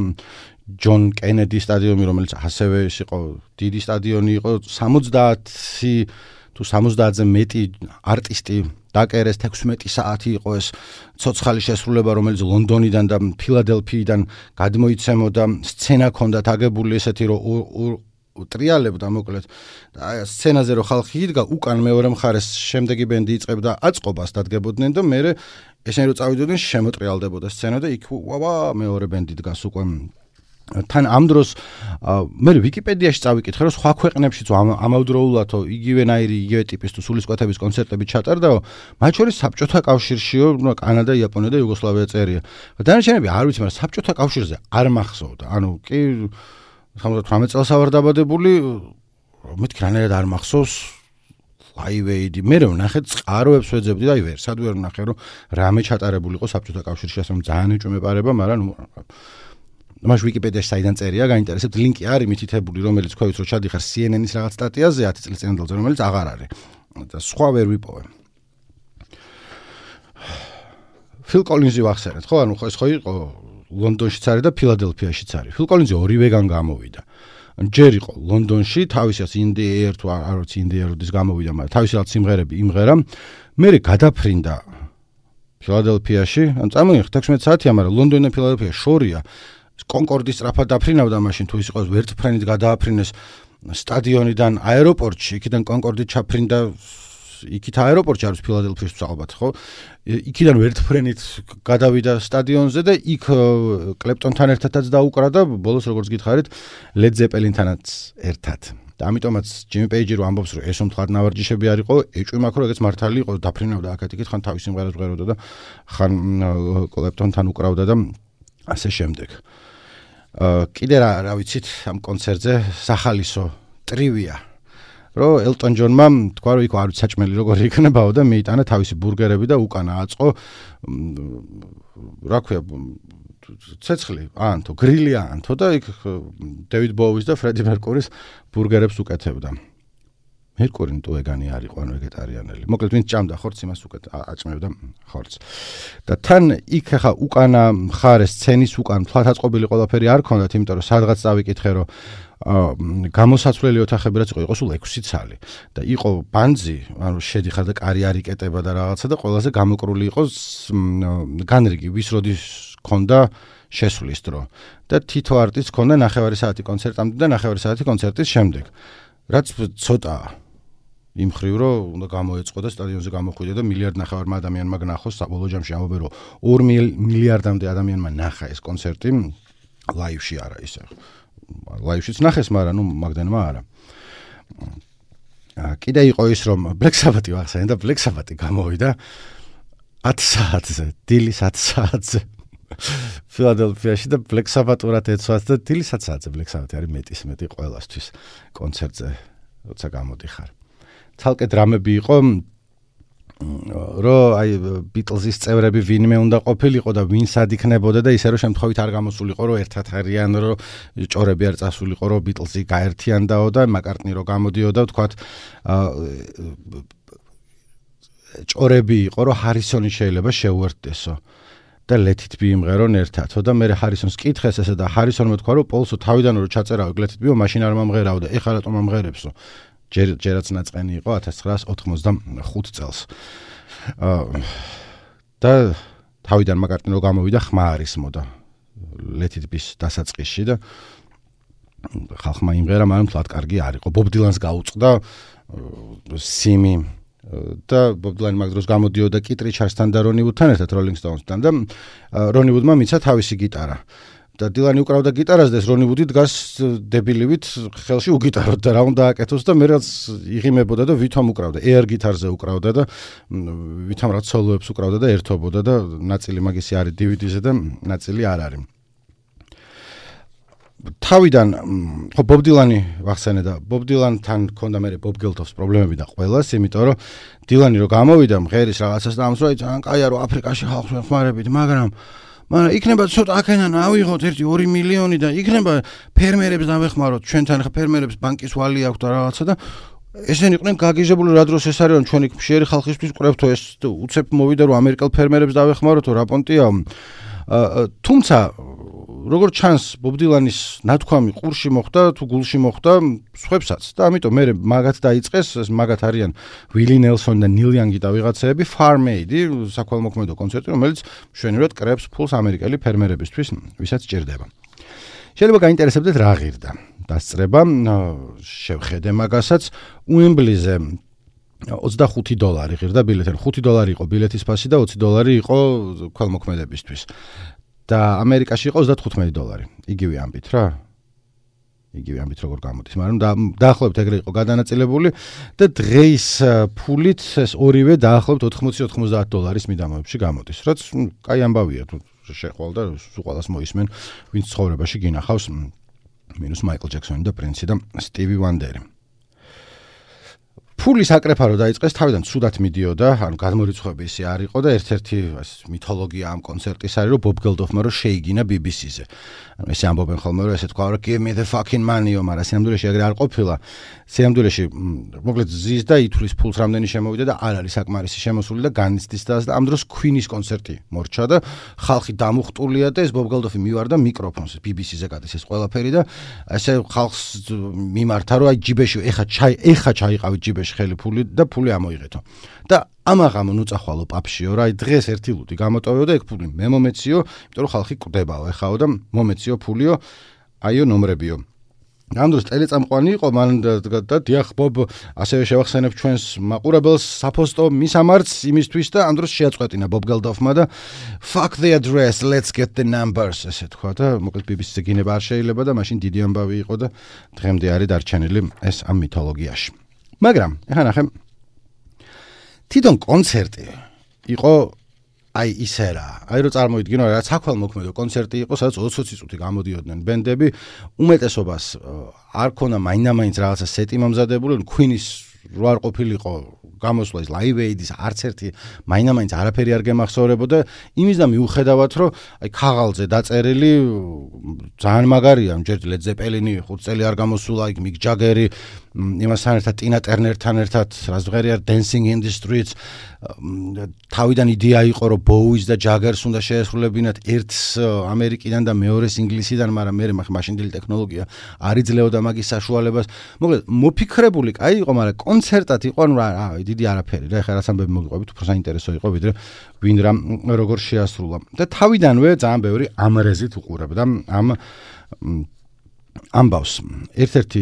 ჯონ კენედი სტადიონი რომელიც ასევე იყო დიდი სტადიონი იყო 70 თუ 70-ზე მეტი არტისტი დაკერეს 16 საათი იყო ეს ცოცხალი შესრულება რომელიც ლონდონიდან და ფილადელფიიდან გადმოიცემოდა სცენა ქონდათ აგებული ესეთი რომ ტრიალებდა მოკლედ და სცენაზე რომ ხალხი იდგა უკან მეორე მხარეს შემდეგი ბენდი იწყებდა აწყობას დადგებოდნენ და მე ესენი რომ წავიდოდნენ შემოტრიალდებოდა სცენა და იქ მეორე ბენდი დგას უკვე თან ამ დროს მე ვიკიპედიაში წავიკითხე რომ სხვა ქვეყნებშიც ამავდროულათო იგივენაირი იგივე ტიპის თუ სულისკვეთების კონცერტები ჩატარდაო მათ შორის საბჭოთა კავშირშიო კანადა იაპონია და იუგოსლავია წერია დანარჩენები არ ვიცი მაგრამ საბჭოთა კავშირზე არ მახსოვდა ანუ კი 78 წელს ვარ დაბადებული მეთქი რანაირად არ მახსოვს Live Aid მე რომ ნახე წყაროებს ვეძებდი და ვერსად ვერ ვნახე რომ რამე ჩატარებული იყო საბჭოთა კავშირში ასე რომ ძალიან ეჭვმეპარება მაგრამ მას ვიკიპედიაში საიდან წერია გაინტერესებთ ლინკი არის მითითებული რომელიც ქვევით რომ ჩადიხარ CNN-ის რაღაც სტატიაზე 10 წლის წინანდელზე რომელიც აღარ არის და სხვა ვერ ვიპოვე Phil Collins-ი ვახსენეთ ხო ანუ ეს ხო იყო ლონდონშიც არის და ფილადელფიაშიც არის Phil Collins-ი ორივეგან გამოვიდა ჯერ იყო ლონდონში თავისას In the Air თუ არ ვიცი In the Air-ის გამოვიდა მაგრამ თავისი რაღაც სიმღერები იმღერა მე გადაფრინდა ფილადელფიაში ან წამოიღეთ 16 საათია მაგრამ ლონდონი და ფილადელფია შორია კონკორდის სწრაფად დაფრინავდა მაშინ თუ ის იყო ვერტფრენით გადააფრინეს სტადიონიდან აეროპორტში იქიდან კონკორდით ჩაფრინდა იქით აეროპორტში არის ფილადელფიაში ალბათ ხო იქიდან ვერტფრენით გადავიდა სტადიონზე და იქ კლეპტონთან ერთადაც დაუკრა და ბოლოს როგორც გითხარით ლედ ზეპელინთანაც ერთად და ამიტომაც ჯიმი პეიჯი რო ამბობს რომ ეს მომთხარ ნავარჯიშები არ იყო ეჭვი მაქვს რომ ეგეც მართალი იყო დაფრინავდა აქეთ-იქით ხან თავის სიმღერას ვღეროდა და ხან კლეპტონთან უკრავდა და ასე შემდეგ კიდე რა ვიცით ამ კონცერტზე სახალისო ტრივია რომ ელტონ ჯონმა თქვა რომ იქ არ ვიცი საჭმელი როგორი იქნებაო და მეიტანა თავისი ბურგერები და უკანა აწყო რა ქვია ცეცხლი ანთო გრილი ანთო და იქ დევიდ ბოუის და ფრედი მერკურის ბურგერებს უკეთებდა მერკური თუ ეგანი არ იყო ანუ ვეგეტარიანელი მოკლედ ვინც ჭამდა ხორცს იმას უკეთ აჭმევდა ხორცს და თან იქ ხა უკანა მხარეს სცენის უკან თვალთაწყობილი ყველაფერი არ ქონდათ იმიტომ რომ სადღაც წავიკითხე რომ გამოსაცვლელი ოთახები რაც იყო სულ 6 ცალი და იყო ბანძი ანუ შედიხარ და კარი არ იკეტება და რაღაცა და ყველაზე გამოკრული იყო განრიგი ვის როდის ქონდა შესვლის დრო და თითო არტისტს ქონდა 9 საათი კონცერტამდე და 9 საათი კონცერტის შემდეგ რაც ცოტა იმ ხრივ რომ უნდა გამოეწყო და სტადიონზე გამოხვიდე და 1.5 მილიარდ ადამიანმა გნახოს საბოლოო ჯამში ამბობენ რომ 2 მილიარდამდე ადამიანმა ნახა ეს კონცერტი ლაივში არა ისე ლაივშიც ნახეს მაგრამ ნუ მაგდენმა არა კიდე იყო ის რომ Black Sabbath-ი ვახსენე და Black Sabbath-ი გამოვიდა 10 საათზე დილის 10 საათზე ფილადელფიაში და Black Sabbath-ურად ეცვას და დილის 10 საათზე Black Sabbath-ი არის მეტი ყველასთვის კონცერტზე როცა გამოდიხარ თალკე დრამები იყო რომ აი ბიტლზის წევრები ვინმე უნდა ყოფილიყო და ვინ სად იქნებოდა და ისე რომ შემთხვევით არ გამოსულიყო რომ ერთად არიან რომ ჭორები არ წასულიყო რომ ბიტლზი გაერთიანდაო და მაკარტნი რომ გამოდიოდა ვთქვათ ჭორები იყო რომ ჰარისონი შეიძლება შეუერთდესო და ლეთით მიიმღერონ ერთადო და მე ჰარისონს კითხეს ესე და ჰარისონმა თქვა რომ პოლსო თავიდან რომ ჩაწერავ ლეთით მიო მაშინ არ მომღერავდა ეხლა რატომ მომღერებსო ჯერაც ნაწყენი იყო 1985 წელს. და თავიდან მაკარტნი რო გამოვიდა ხმა არის მოდა ლეთიტბის დასაწყისში და ხალხმა იმღერა მაგრამ თლად კარგი არ იყო. ბობ დილანს გაუწყდა სიმი და ბობ დილანი მაგ დროს გამოდიოდა კიტ რიჩარდსთან და რონი ვუდთან ერთად როლინგ სტოუნსთან და რონი ვუდმა მიცა თავისი გიტარა. და დილანი უკრავდა გიტარას და ეს რონი ვუდი დგას დებილივით ხელში უგიტაროთ და რა უნდა აკეთოს და მე რაც იღიმებოდა და ვითომ უკრავდა air გიტარზე უკრავდა და ვითომ რაც სოლოებს უკრავდა და ერთობოდა და ნაწილი მაგისი არის DVD-ზე და ნაწილი არ არის თავიდან ხო ბობ დილანი ვახსენე და ბობ დილანთან ქონდა მე ბობ გელდოფს პრობლემები და ყველას იმიტომ რომ დილანი რო გამოვიდა მღერის რაღაცას და ამსვლა ძალიან კაია რომ აფრიკაში ხალხს ვეხმარებით მაგრამ იქნება ცოტა აქედან ავიღოთ 1-2 მილიონი და იქნება ფერმერებს დავეხმაროთ ჩვენთან ხა ფერმერებს ბანკის ვალი აქვს და რაღაცა და ესენი იყვნენ გაგიჟებული რა დროს ეს არის რომ ჩვენი მშიერი ხალხისთვის ყრებთო ეს უცებ მოვიდა რომ ამერიკელ ფერმერებს დავეხმაროთო რა პონტია თუმცა როგორც ჩანს ბობ დილანის ნათქვამი ყურში მოხდა თუ გულში მოხდა სხვებსაც და ამიტომ მე მაგათ დაიწყეს მაგათ არიან ვილი ნელსონი და ნილ იანგი და ვიღაცეები Farm Aid-ი საქველმოქმედო კონცერტი რომელიც მშვენივრად კრებს ფულს ამერიკელი ფერმერებისთვის ვისაც ჭირდება შეიძლება გაინტერესებდეთ რა ღირდა დასწრება შევხედე მაგასაც უემბლიზე $25 ღირდა ბილეთი $5 იყო ბილეთის ფასი და $20 იყო ქველმოქმედებისთვის და ამერიკაში იყო $35. იგივე ამბით რა. იგივე ამბით როგორ გამოდის, მაგრამ დაახლოებით ეგრე იყო გადანაწილებული და დღეის ფულით ეს ორივე დაახლოებით $80-90 მიდამოებში გამოდის. რაც კაი ამბავია თუ შეხვალ და სულ მოისმენ, ვინც ცხოვრებაში გინახავს მინუს მაიკლ ჯექსონი და პრინსი და სტივი ვანდერი. ფულის აკრეფა რო დაიწყეს თავიდან ცუდად მიდიოდა, ანუ გადმორიცხვები ისე არ იყო და ერთ-ერთი მითოლოგია ამ კონცერტის არის რომ ბობ გელდოფმა რო შეიგინა BBC-ზე. ანუ ესე ამბობენ ხოლმე რომ ესე თქვა რომ give me the fucking money, მაგრამ სიამდვილეში ეგრე არ ყოფილა. სიამდვილეში მოკლედ ზის და ითვლის ფულს რამდენი შემოვიდა და არ არის საკმარისი შემოსული და განიცდის და ამ დროს Queen-ის კონცერტი მორჩა და ხალხი დამუხტულია და ეს ბობ გელდოფი მივარდა მიკროფონს BBC-ზე გადის ეს ყველაფერი და ესე ხალხს მიმართა რომ აი ჯიბეში ეხა ჩაიყავით ჯიბეში ხელი ფული და ფული ამოიღეთო. და ამაღამ ნუწახვალო პაპშიო რა, აი დღეს ერთი ლუდი გამოტოვეო და ეგ ფული მე მომეციო, იმიტომ რომ ხალხი კვდებაო ეხაო და მომეციო ფულიო, აიო ნომრებიო. ამ დროს ტელეწამყვანი იყო მან და დიახ ბობ ასევე შევახსენებ ჩვენს მაყურებელს საფოსტო მისამართს იმისთვის და ამ დროს შეაწყვეტინა ბობ გელდოფმა და fuck the address, let's get the numbers ესე თქვა და მოკლედ BBC-ზე გინება არ შეიძლება და მაშინ დიდი ამბავი იყო და დღემდე არის დარჩენილი ეს ამ მითოლოგიაში. მაგრამ ეხლა ნახე თვითონ კონცერტი იყო აი ისე რა აი რო წარმოიდგინო რა საქველმოქმედო კონცერტი იყო სადაც 20 წუთი გამოდიოდნენ ბენდები უმეტესობას არ ქონა მაინდა-მაინც რაღაცა სეტი მომზადებული Queen-ის რო არ ყოფილიყო გამოსვლა ის Live Aid-ის არც ერთი მაინდა-მაინც არაფერი არ გემახსოვრებოდა იმის და მიუხედავად რომ აი ქაღალზე დაწერილი ძალიან მაგარია ჯერ Led Zeppelin-ი 5 წელი არ გამოსულა იქ Mick Jagger-ი იმასთან ერთად Tina Turner-თან ერთად რაც ვღერია Dancing in the Streets თავიდან იდეა იყო რომ Bowie-ს და Jagger-ს უნდა შეესრულებინათ ერთს ამერიკიდან და მეორეს ინგლისიდან, მაგრამ მე მაშინდელი ტექნოლოგია არ იძლეოდა მაგის საშუალებას. მოკლედ მოფიქრებული კაი იყო, მაგრამ კონცერტად იყო ანუ რა დიდი არაფერი რა, ეხლა რაც ამბები მოგიყვებით, უფრო საინტერესო იყო ვიდრე ვინ რა როგორ შეასრულა. და თავიდანვე ძალიან ბევრი ამრეზით უყურებდა ამ ამბავს. ერთ-ერთი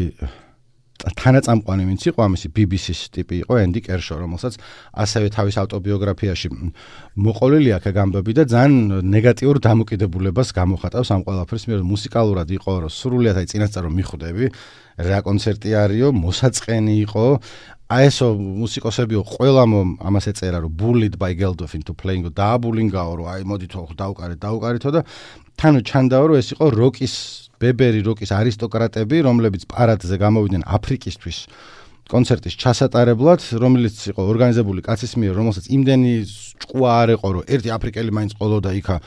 თანაწამყვანი ვინც იყო ამისი BBC-ს ტიპი იყო ენდი კერშო, რომელსაც ასევე თავის ავტობიოგრაფიაში მოყოლილი აქვს ამბები და ძალიან ნეგატიურ დამოკიდებულებას გამოხატავს ამ ყველაფერს, მე მუსიკალურად იყო რომ სრულიად აი წინასწარ რომ მიხვდები რა კონცერტი არისო, მოსაწყენი იყო აი ესო მუსიკოსებიო ყველამ ამას ეწერა რომ bullied by Geldof into playing დააბულინგაო რომ აი მოდითო დაუკარეთო და თან ჩანდაო რომ ეს იყო როკის ბებერი როკის არისტოკრატები, რომლებიც პარადზე გამოვიდნენ აფრიკისთვის კონცერტის ჩასატარებლად, რომელიც იყო ორგანიზებული კაცის მიერ, რომელსაც იმდენი ჭკუა არ ეყო, რომ ერთი აფრიკელი მაინც ყოლოდა იქა,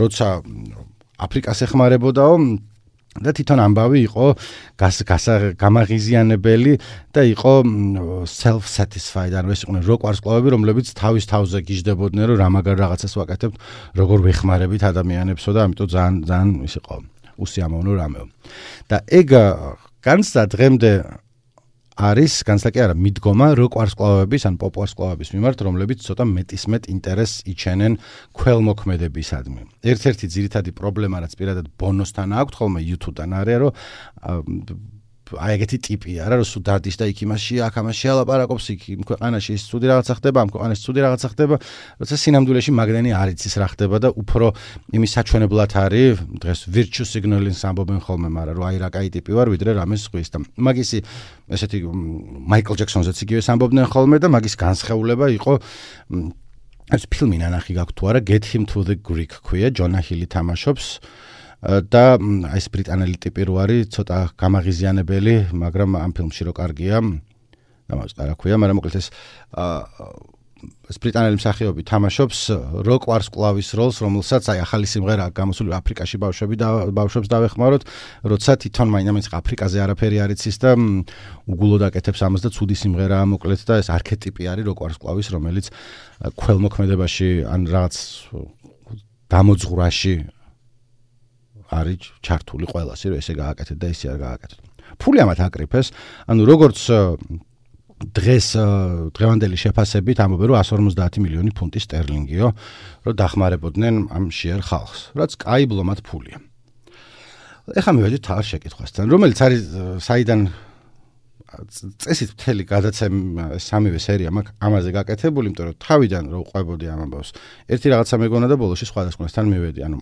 როცა აფრიკას ეხმარებოდაო და თვითონ ამბავი იყო გამაღიზიანებელი და იყო self satisfied, ანუ ეს იყვნენ როკ ვარსკვლავები, რომლებიც თავის თავზე გიждდებოდნენ, რომ რამაგარ რაღაცას ვაკეთებთ, როგორ ვეხმარებით ადამიანებსო და ამიტომ ძალიან ის იყო უსიამოვნო რამეო. და ეგ განცდა დღემდე არის, განცდა კი არა, მიდგომა როკ ვარსკვლავების ან პოპ ვარსკვლავების მიმართ, რომლებიც ცოტა მეტისმეტ ინტერესს იჩენენ ქველმოქმედებისადმი. ერთ-ერთი ძირითადი პრობლემა, რაც პირადად ბონოსთან აქვს, ხოლმე YouTube-დან არის, რომ აი ეგეთი ტიპი არა რომ სულ დადის და იქ იმაში აქ ამაში ალაპარაკობს იქ იმ ქვეყანაში ის ცუდი რაღაცა ხდება ამ ქვეყანაში ცუდი რაღაცა ხდება როცა სინამდვილეში მაგდენი არ იცის რა ხდება და უფრო იმის საჩვენებლად არის დღეს virtue signaling-ს ამბობენ ხოლმე მაგრამ რომ აი რა კაი ტიპი ვარ ვიდრე რამეს ხვის და მაგისი ესეთი მაიკლ ჯექსონზეც იგივე ამბობდნენ ხოლმე და მაგის განსხეულება იყო ეს ფილმი ნანახი გაქვთ თუ არა Get Him to the Greek ქვია ჯონა ჰილი თამაშობს და აი ეს ბრიტანელი ტიპი რო არის ცოტა გამაღიზიანებელი მაგრამ ამ ფილმში რო კარგია დამაწყდა რა ქვია მაგრამ მოკლედ ეს ბრიტანელი მსახიობი თამაშობს როკ ვარს კლავის როლს რომელსაც აი ახალი სიმღერა გამოსული აფრიკაში ბავშვებს დავეხმაროთ როცა თვითონ მაინც აფრიკაზე არაფერი არ იცის და უგულოდ აკეთებს ამას და ცუდი სიმღერაა მოკლედ და ეს არქეტიპი არის როკ ვარს კლავის რომელიც ქველმოქმედებაში ან რაღაც დამოძღვრაში არის ჩართული ყველასი რომ ესე გააკეთეთ და ესე არ გააკეთეთ. ფული ამათ აკრიფეს, ანუ როგორც დღევანდელი შეფასებით ამბობენ რომ 150 მილიონი ფუნტი სტერლინგიო, რომ დახმარებოდნენ ამ შიერ ხალხს, რაც კაი ბლომად ფულია. ეხლა მივედით თავის შეკითხვასთან, რომელიც არის საიდან წესით მთელი გადაცემა სამივე სერია მაქვს ამაზე გაკეთებული, იმიტომ რომ თავიდან რო ყვებოდი ამ ამბავს. ერთი რაღაცა მეგონა და ბოლოში სხვადასხვასთან მივედი. ანუ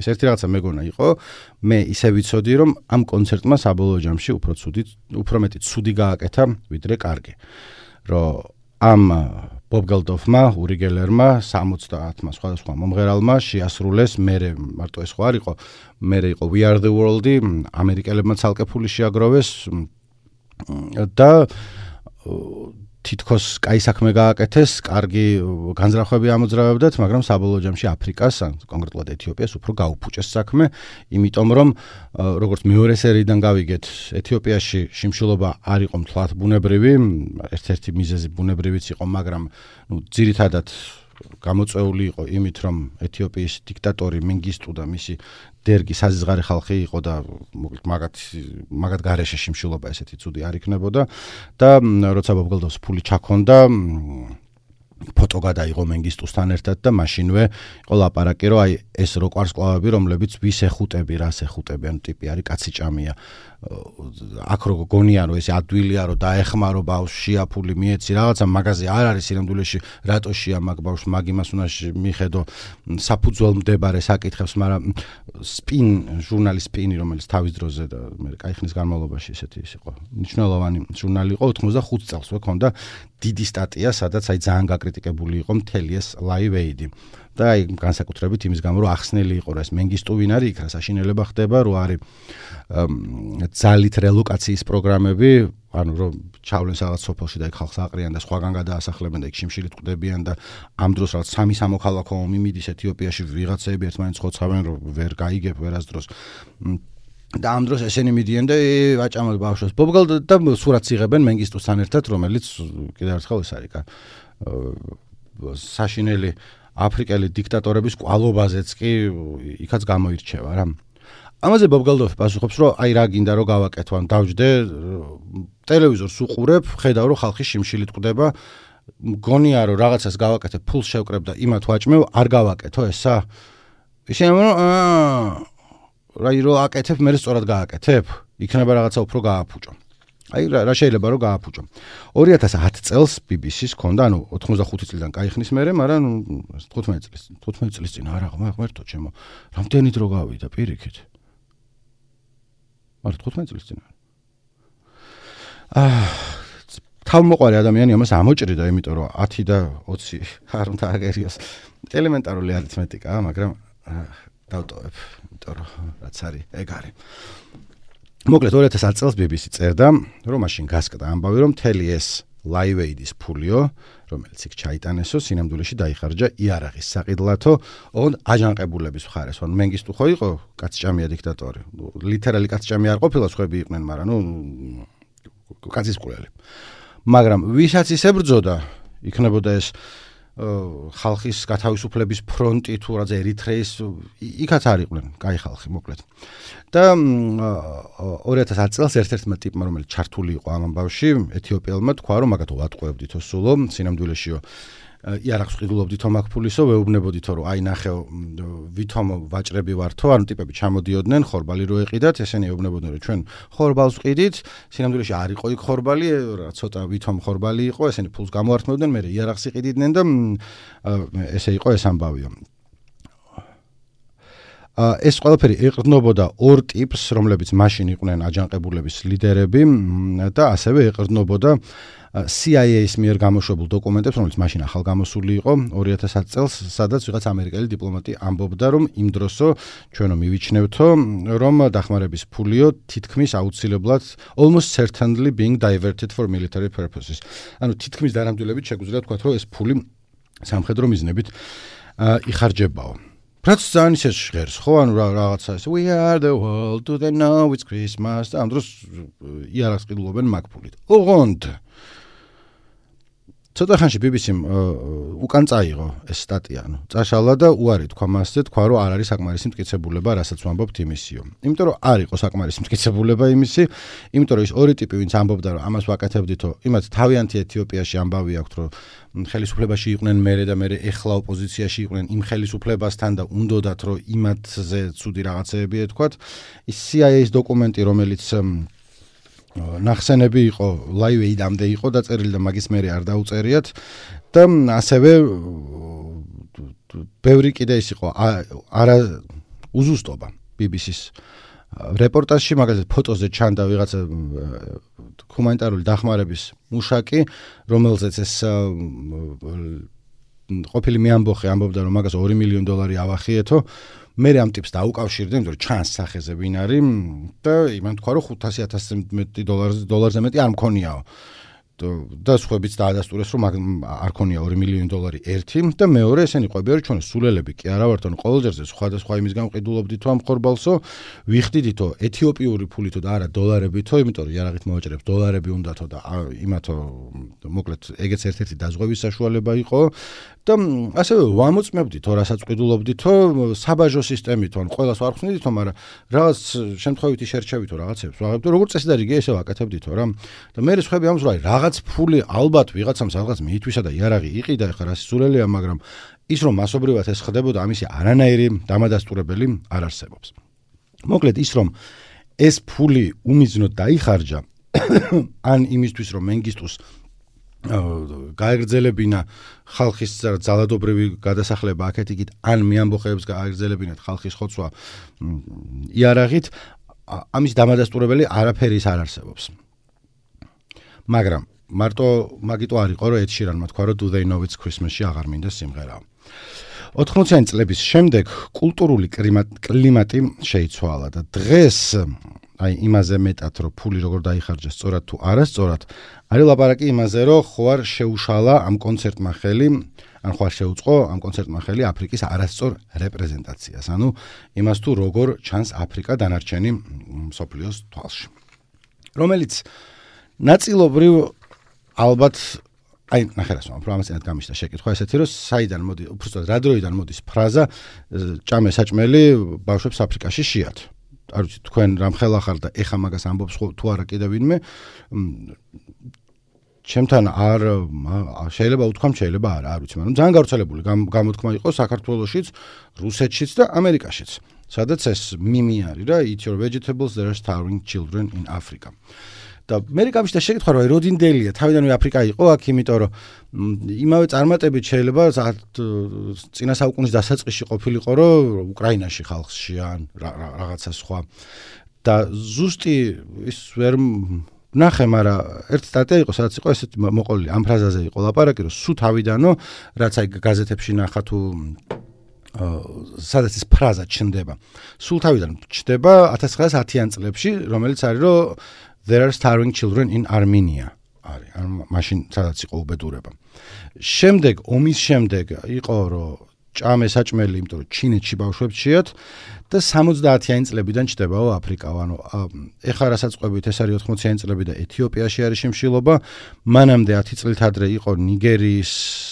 ეს ერთი რაღაცა მეგონა იყო, მე ისე ვიცოდი, რომ ამ კონცერტმა საბოლოო ჯამში უფრო მეტი ცუდი გააკეთა, ვიდრე კარგი. რომ ამ ბობ გელდოფმა, ური გელერმა, 70-მა სხვადასხვა მომღერალმა შეასრულეს, მერე მარტო ეს ხო არ იყო, მერე იყო We Are the World-ი, ამერიკელებმა ცალკე ფული შეაგროვეს და თითქოს კაი საქმე გააკეთეს, კარგი განზრახვები ამოძრავებდათ, მაგრამ საბოლოო ჯამში აფრიკას, კონკრეტულად ეთიოპიას უფრო გაუფუჭეს საქმე, იმიტომ რომ როგორც მეორე სერიიდან გავიგეთ, ეთიოპიაში შიმშილობა არ იყო მთლად ბუნებრივი, ერთ-ერთი მიზეზი ბუნებრივიც იყო, მაგრამ ძირითადად გამოწვეული იყო იმით, რომ ეთიოპიის დიქტატორი მენგისტუ და მისი დერგი საზღარი ხალხი იყო და მაგათ გარეშე შიმშილობა ესეთი ცუდი არ იქნებოდა და როცა ბობ გელდოფს ფული ჩაქონდა ფოტო გადაიღო მენგისტუსთან ერთად და მაშინვე იყო ლაპარაკი რომ აი ეს რო კვარსკლავები რომლებიც ვის ეხუტები რას ეხუტები ანუ ტიპი არის კაცი ჭამია აქ რო გონია რომ ეს ადვილია რომ დაეხმარო ბავშვია ფული მიეცი რაღაცა მაგაზე არ არის სინამდვილეში რატოშია მაგ ბავშვს მაგ იმას უნდა მიხედო საფუძველმდებარე საკითხებს მაგრამ ჟურნალის სპინი რომელიც თავის დროზე და მე კაი ხნის განმავლობაში ესეთი იყო მნიშვნელოვანი ჟურნალი იყო 85 წელს ვქონდა დიდი სტატია სადაც აი ძალიან გაკრიტიკებული იყო მთელი ეს Live Aid და აი განსაკუთრებით იმის გამო რომ ახსნელი იყო რა ეს მენგისტუ ვინ არის იქ რა საშინელება ხდება რომ არის ძალით რელოკაციის პროგრამები ანუ რომ ჩავლენ რაღაც სოფელში და იქ ხალხს აყრიან და სხვაგან გადაასახლებენ და იქ შიმშილით ყდებიან და ამ დროს რაღაც სამი სამოქალაქო ომი მიდის ეთიოპიაში ვიღაცები ერთმანეთს ხოცავენ რომ ვერ გაიგებ ვერასდროს და ამ დროს ესენი მიდიან და ვაჭამოთ ბავშვებს ბობ გელდოფს და სურათს იღებენ მენგისტუსთან ერთად რომელიც კიდევ ერთხელ ეს არის საშინელი აფრიკელი დიქტატორების კვალობაზეც კი იქაც გამოირჩევა რა ამაზე ბობ გელდოფი პასუხობს რომ აი რა გინდა რომ გავაკეთო ან დავჯდე ტელევიზორს უყურებ ხედავ რომ ხალხი შიმშილით ყდება მგონია რომ რაღაცას გავაკეთებ ფულს შევკრებ და იმათ ვაჭმევ არ გავაკეთო ესა ისე რაი რო აკეთებ მე სწორად გააკეთებ იქნება რაღაცა უფრო გააფუჭო აი რა შეიძლება რომ გააფუჭო 2010 წელს BBC-ს ქონდა ანუ 85 წლიდან კაი ხნის მერე მაგრამ 15 წლის წინ არა ღმერთო ჩემო რამდენი დრო გავიდა პირიქით მაგრამ 15 წლის წინ თავმოყარი ადამიანი ამას ამოჭრიდა იმიტომ რომ 10 და 20 არ უნდა აგერიოს ელემენტარული არითმეტიკაა მაგრამ დავტოვებ იმიტომ რომ რაც არის ეგ არის მოკლედ 2010 წელს BBC წერდა რომ მაშინ გასკდა ამბავი რომ მთელი ეს Live Aid-ის ფულიო რომელიც იქ ჩაიტანესო სინამდვილეში დაიხარჯა იარაღის საყიდლათო ოღონდ აჯანყებულების მხარეს ანუ მენგისტუ ხო იყო კაცჭამია დიქტატორი ლიტერალი კაცჭამია არ ყოფილა სხვები იყვნენ მაგრამ ნუ კაცის ყურელი მაგრამ ვისაც ის ებრძოდა იქნებოდა ეს ხალხის გათავისუფლების ფრონტი თუ რაღაც ერიტრეის იქაც არ იყვნენ კაი ხალხი მოკლედ და 2010 წელს ერთ-ერთმა ტიპმა რომელიც ჩართული იყო ამ ამბავში ეთიოპიელმა თქვა რომ მაგათო ვატყუებდითო სულო სინამდვილეშიო იარაღს ყიდულობდითო მაგ ფულისო, ვეუბნებოდითო, რომ აი ნახეო, ვითომ ვაჭრები ვართო, ანუ ტიპები ჩამოდიოდნენ, ხორბალი რო ეყიდათ, ესენი ეუბნებოდნენ, რომ ჩვენ ხორბალს ყიდით, სინამდვილეში არ იყო იქ ხორბალი, ცოტა ვითომ ხორბალი იყო, ესენი ფულს გამოართმევდნენ, მე იარაღს იყიდნენ და ესე იყო ეს ამბავიო. ეს ყველაფერი ეყრდნობოდა ორ ტიპს, რომლებიც მაშინ იყვნენ აჯანყებულების ლიდერები და ასევე ეყრდნობოდა CIA-ის მიერ გამოშვებულ დოკუმენტებს, რომელიც მაშინ ახალგამოსული იყო 2010 წელს, სადაც ვიღაც ამერიკელი დიპლომატი ამბობდა, რომ იმ დროსო ჩვენო მივიჩნევთო, რომ დახმარების ფულიო თითქმის აუცილებლად almost certainly being diverted for military purposes. ანუ თითქმის დანამდვილებით შეგვიძლია თქვა, რომ ეს ფული სამხედრო მიზნებით იხარჯებაო. რაც ძალიან ისე ჟღერს, ხო, ანუ რაღაცა ეს we are the world, do they know it's Christmas და ამ დროს იარაღს ყიდულობენ მაგ ფულით. ოღონდ ცოტა ხანში BBC-მ უკან წაიღო ეს სტატია, ანუ წაშალა და უარი თქვა მასზე, თქვა რომ არ არის საკმარისი მტკიცებულება, რასაც ვამბობთ იმისიო. იმიტომ რომ არ იყო საკმარისი მტკიცებულება იმისი, იმიტომ რომ ის ორი ტიპი, ვინც ამბობდა რომ ამას ვაკეთებდითო, იმათ თავიანთი ეთიოპიაში ამბავი აქვთ, რომ ხელისუფლებაში იყვნენ მერე და მერე ეხლა ოპოზიციაში იყვნენ იმ ხელისუფლებასთან და უნდოდათ რომ იმათზე ცუდი რაღაცეები ეთქვათ. ის CIA-ის დოკუმენტი, რომელიც ნახსენები იყო Live Aid-ამდე იყო დაწერილი და მაგის მერე არ დაუწერიათ და ასევე ბევრი კიდე ის იყო არა უზუსტობა BBC-ის რეპორტაჟში, მაგალითად ფოტოზე ჩანდა ვიღაცა ჰუმანიტარული დახმარების მუშაკი, რომელზეც ეს ყოფილი მეამბოხი ამბობდა, რომ მაგას $2 მილიონი ავახიეთო. მე ამ ტიპს დაუკავშირდი, იმიტომ რომ ჩანს სახეზე ვინ არის და იმან თქვა, რომ $500,000 მეტი არ მქონიაო. და სხვაებიც დაადასტურეს, რომ არ ქონია $2 მილიონი ერთი და მეორე ესენი ყვებია, რომ ჩვენ სულელები კი არა ვართ, ანუ ყოველჯერზე სხვადასხვა იმის გამყიდულობდითო ამ ხორბალსო, ვიხდიდითო ეთიოპიური ფულითო და არა დოლარებითო, იმიტომ რომ იარაღით მოვაჭრებს დოლარები უნდათო და იმათო მოკლედ ეგეც ერთ-ერთი დაზღვევის საშუალება იყო და ასევე ვამოწმებდითო, რასაც ყიდულობდითო საბაჟო სისტემითო, ანუ ყველას არ ხსნიდითო, მაგრამ რაღაც შემთხვევითი შერჩევითო რაღაცებს ვაღებდო, როგორც წესი და რიგი ესე ვაკეთებდითო რა. და მე სხვები ამს რა რაღაც ფული ალბათ ვიღაცამ რაღაც მიითვისა და იარაღი იყიდა, ეხლა რა სულელია, მაგრამ ის რომ მასობრივად ეს ხდებოდა, ამისი არანაირი დამადასტურებელი არ არსებობს. მოკლედ ის რომ ეს ფული უმიზნოდ დაიხარჯა ან იმისთვის რომ მენგისტუს გაეგრძელებინა ხალხის ძალადობრივი გადასახლება აქეთ-იქით, ან მეამბოხეებს გაეგრძელებინათ ხალხის ხოცვა იარაღით, ამის დამადასტურებელი არაფერი არ არსებობს. მაგრამ მარტო მაგიტო არ იყო, რომ Ed Sheeran-მა თქვა, რომ Do They Know It's Christmas-ში აღარ მინდა სიმღერა. 80-იანი წლების შემდეგ კულტურული კლიმატი შეიცვალა და დღეს აი იმაზე მეტად რომ ფული როგორ დაიხარჯა სწორად თუ არასწორად, არის ლაპარაკი იმაზე, რომ ხო არ შეუშალა ამ კონცერტმა ხელი, ან ხო არ შეუწყო ამ კონცერტმა ხელი აფრიკის არასწორ რეპრეზენტაციას, ანუ იმას თუ როგორ ჩანს აფრიკა დანარჩენი მსოფლიოს თვალში. რომელიც ნაწილობრივ ალბათ აი ნახერას რომ ამასთან გამიშთა შეკითხვა ესეთი რომ საიდან მოდი უბრალოდ რა დროიდან მოდის ფრაზა ჭამე საჭმელი ბავშვებს აფრიკაში შეათ. არ ვიცი თქვენ რამ ხელა ხარ და ეხა მაგას ამბობს თუ არა კიდე ვინმე ჩემთან არ შეიძლება უთქვამ შეიძლება არა არ ვიცი მაგრამ ძალიან გავრცელებული გამოთქმა იყო საქართველოშიც, რუსეთშიც და ამერიკაშიც. სადაც ეს მიმი არის რა eat your vegetables there are starving children in Africa. და მე გამიშთა შეკითხვა რომ როდინდელია თავიდანვე აფრიკა იყო აქ, იმიტომ რომ იმავე წარმატებით შეიძლება წინა საუკუნის დასაწყისში ყოფილიყო რომ უკრაინაში ხალხში ან რაღაცა სხვა და ზუსტი ის ვერ ნახე, მაგრამ ერთი სტატია იყო, სადაც იყო ესეთი მოყოლილი ამ ფრაზაზე იყო ლაპარაკი, რომ სულ თავიდანო რაც აი გაზეთებში ნახა თუ სადაც ეს ფრაზა ჩნდება, სულ თავიდან ჩნდება 1910-იან წლებში, რომელიც არის რომ There are starving children in Armenia. არის, ან მაშინ სადაც იყო უბედურება. შემდეგ ომის შემდეგ იყო რომ ჭამე საჭმელი, იმიტომ რომ ჩინეთში ბავშვებს შეათ და 70-იანი წლებიდან ჩდებაო აფრიკა. ანუ ეხლა რასაც ყვებით ეს არის 80-იანი წლები და ეთიოპიაში არის შიმშილობა. მანამდე 10 წლით ადრე იყო ნიგერიის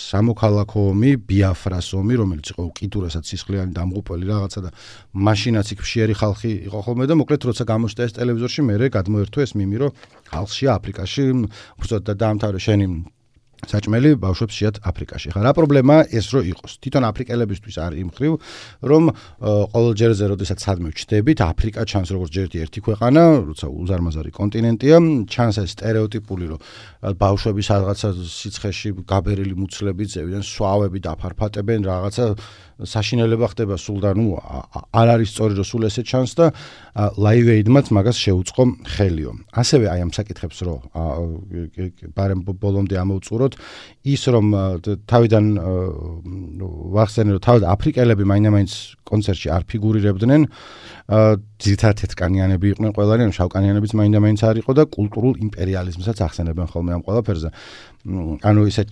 სამოქალაქო ომი, ბიაფრას ომი, რომელიც იყო უკიდურესად სისხლიანი დამღუპველი რაღაცა და მაშინაც იქ ფშიერი ხალხი იყო ხოლმე და მოკლედ როცა გამოჩნდა ეს ტელევიზორში, მერე გადმოერთო ეს მიმი, რომ ხალხშია აფრიკაში, უბრალოდ და დაამთავრე შენი საჭმელი ბავშვებს შეათ აფრიკაში. ხა რა პრობლემაა ეს რო იყოს? თვითონ აფრიკელებისთვის არის იმ ხრივ, რომ ყოველ ჯერზე როდესაც სადმე ვჩდებით, აფრიკა ჩანს როგორც ერთი ქვეყანა, როცა უზარმაზარი კონტინენტია, ჩანს ეს სტერეოტიპული, რომ ბავშვები რაღაცა სიცხეში გაბერილი მუცლები ძევიდან, სვავები დაფარფატებენ, რაღაცა საშინელება ხდება სულ და არ არის სწორი რომ სულ ესე ჩანს და Live Aid-მაც მაგას შეუწყო ხელიო. ასევე აი ამ საკითხებს რო ბარემ ბოლომდე ამოვწუროთ ის რომ თავიდან ვახსენე რომ თავად აფრიკელები მაინც კონცერტში არ ფიგურირებდნენ ძირითადად თეთრკანიანები იყვნენ ყველანი ან შავკანიანებიც მაინც არ იყო და კულტურულ იმპერიალიზმსაც ახსენებენ ხოლმე ამ ყველაფერზე ანუ ისე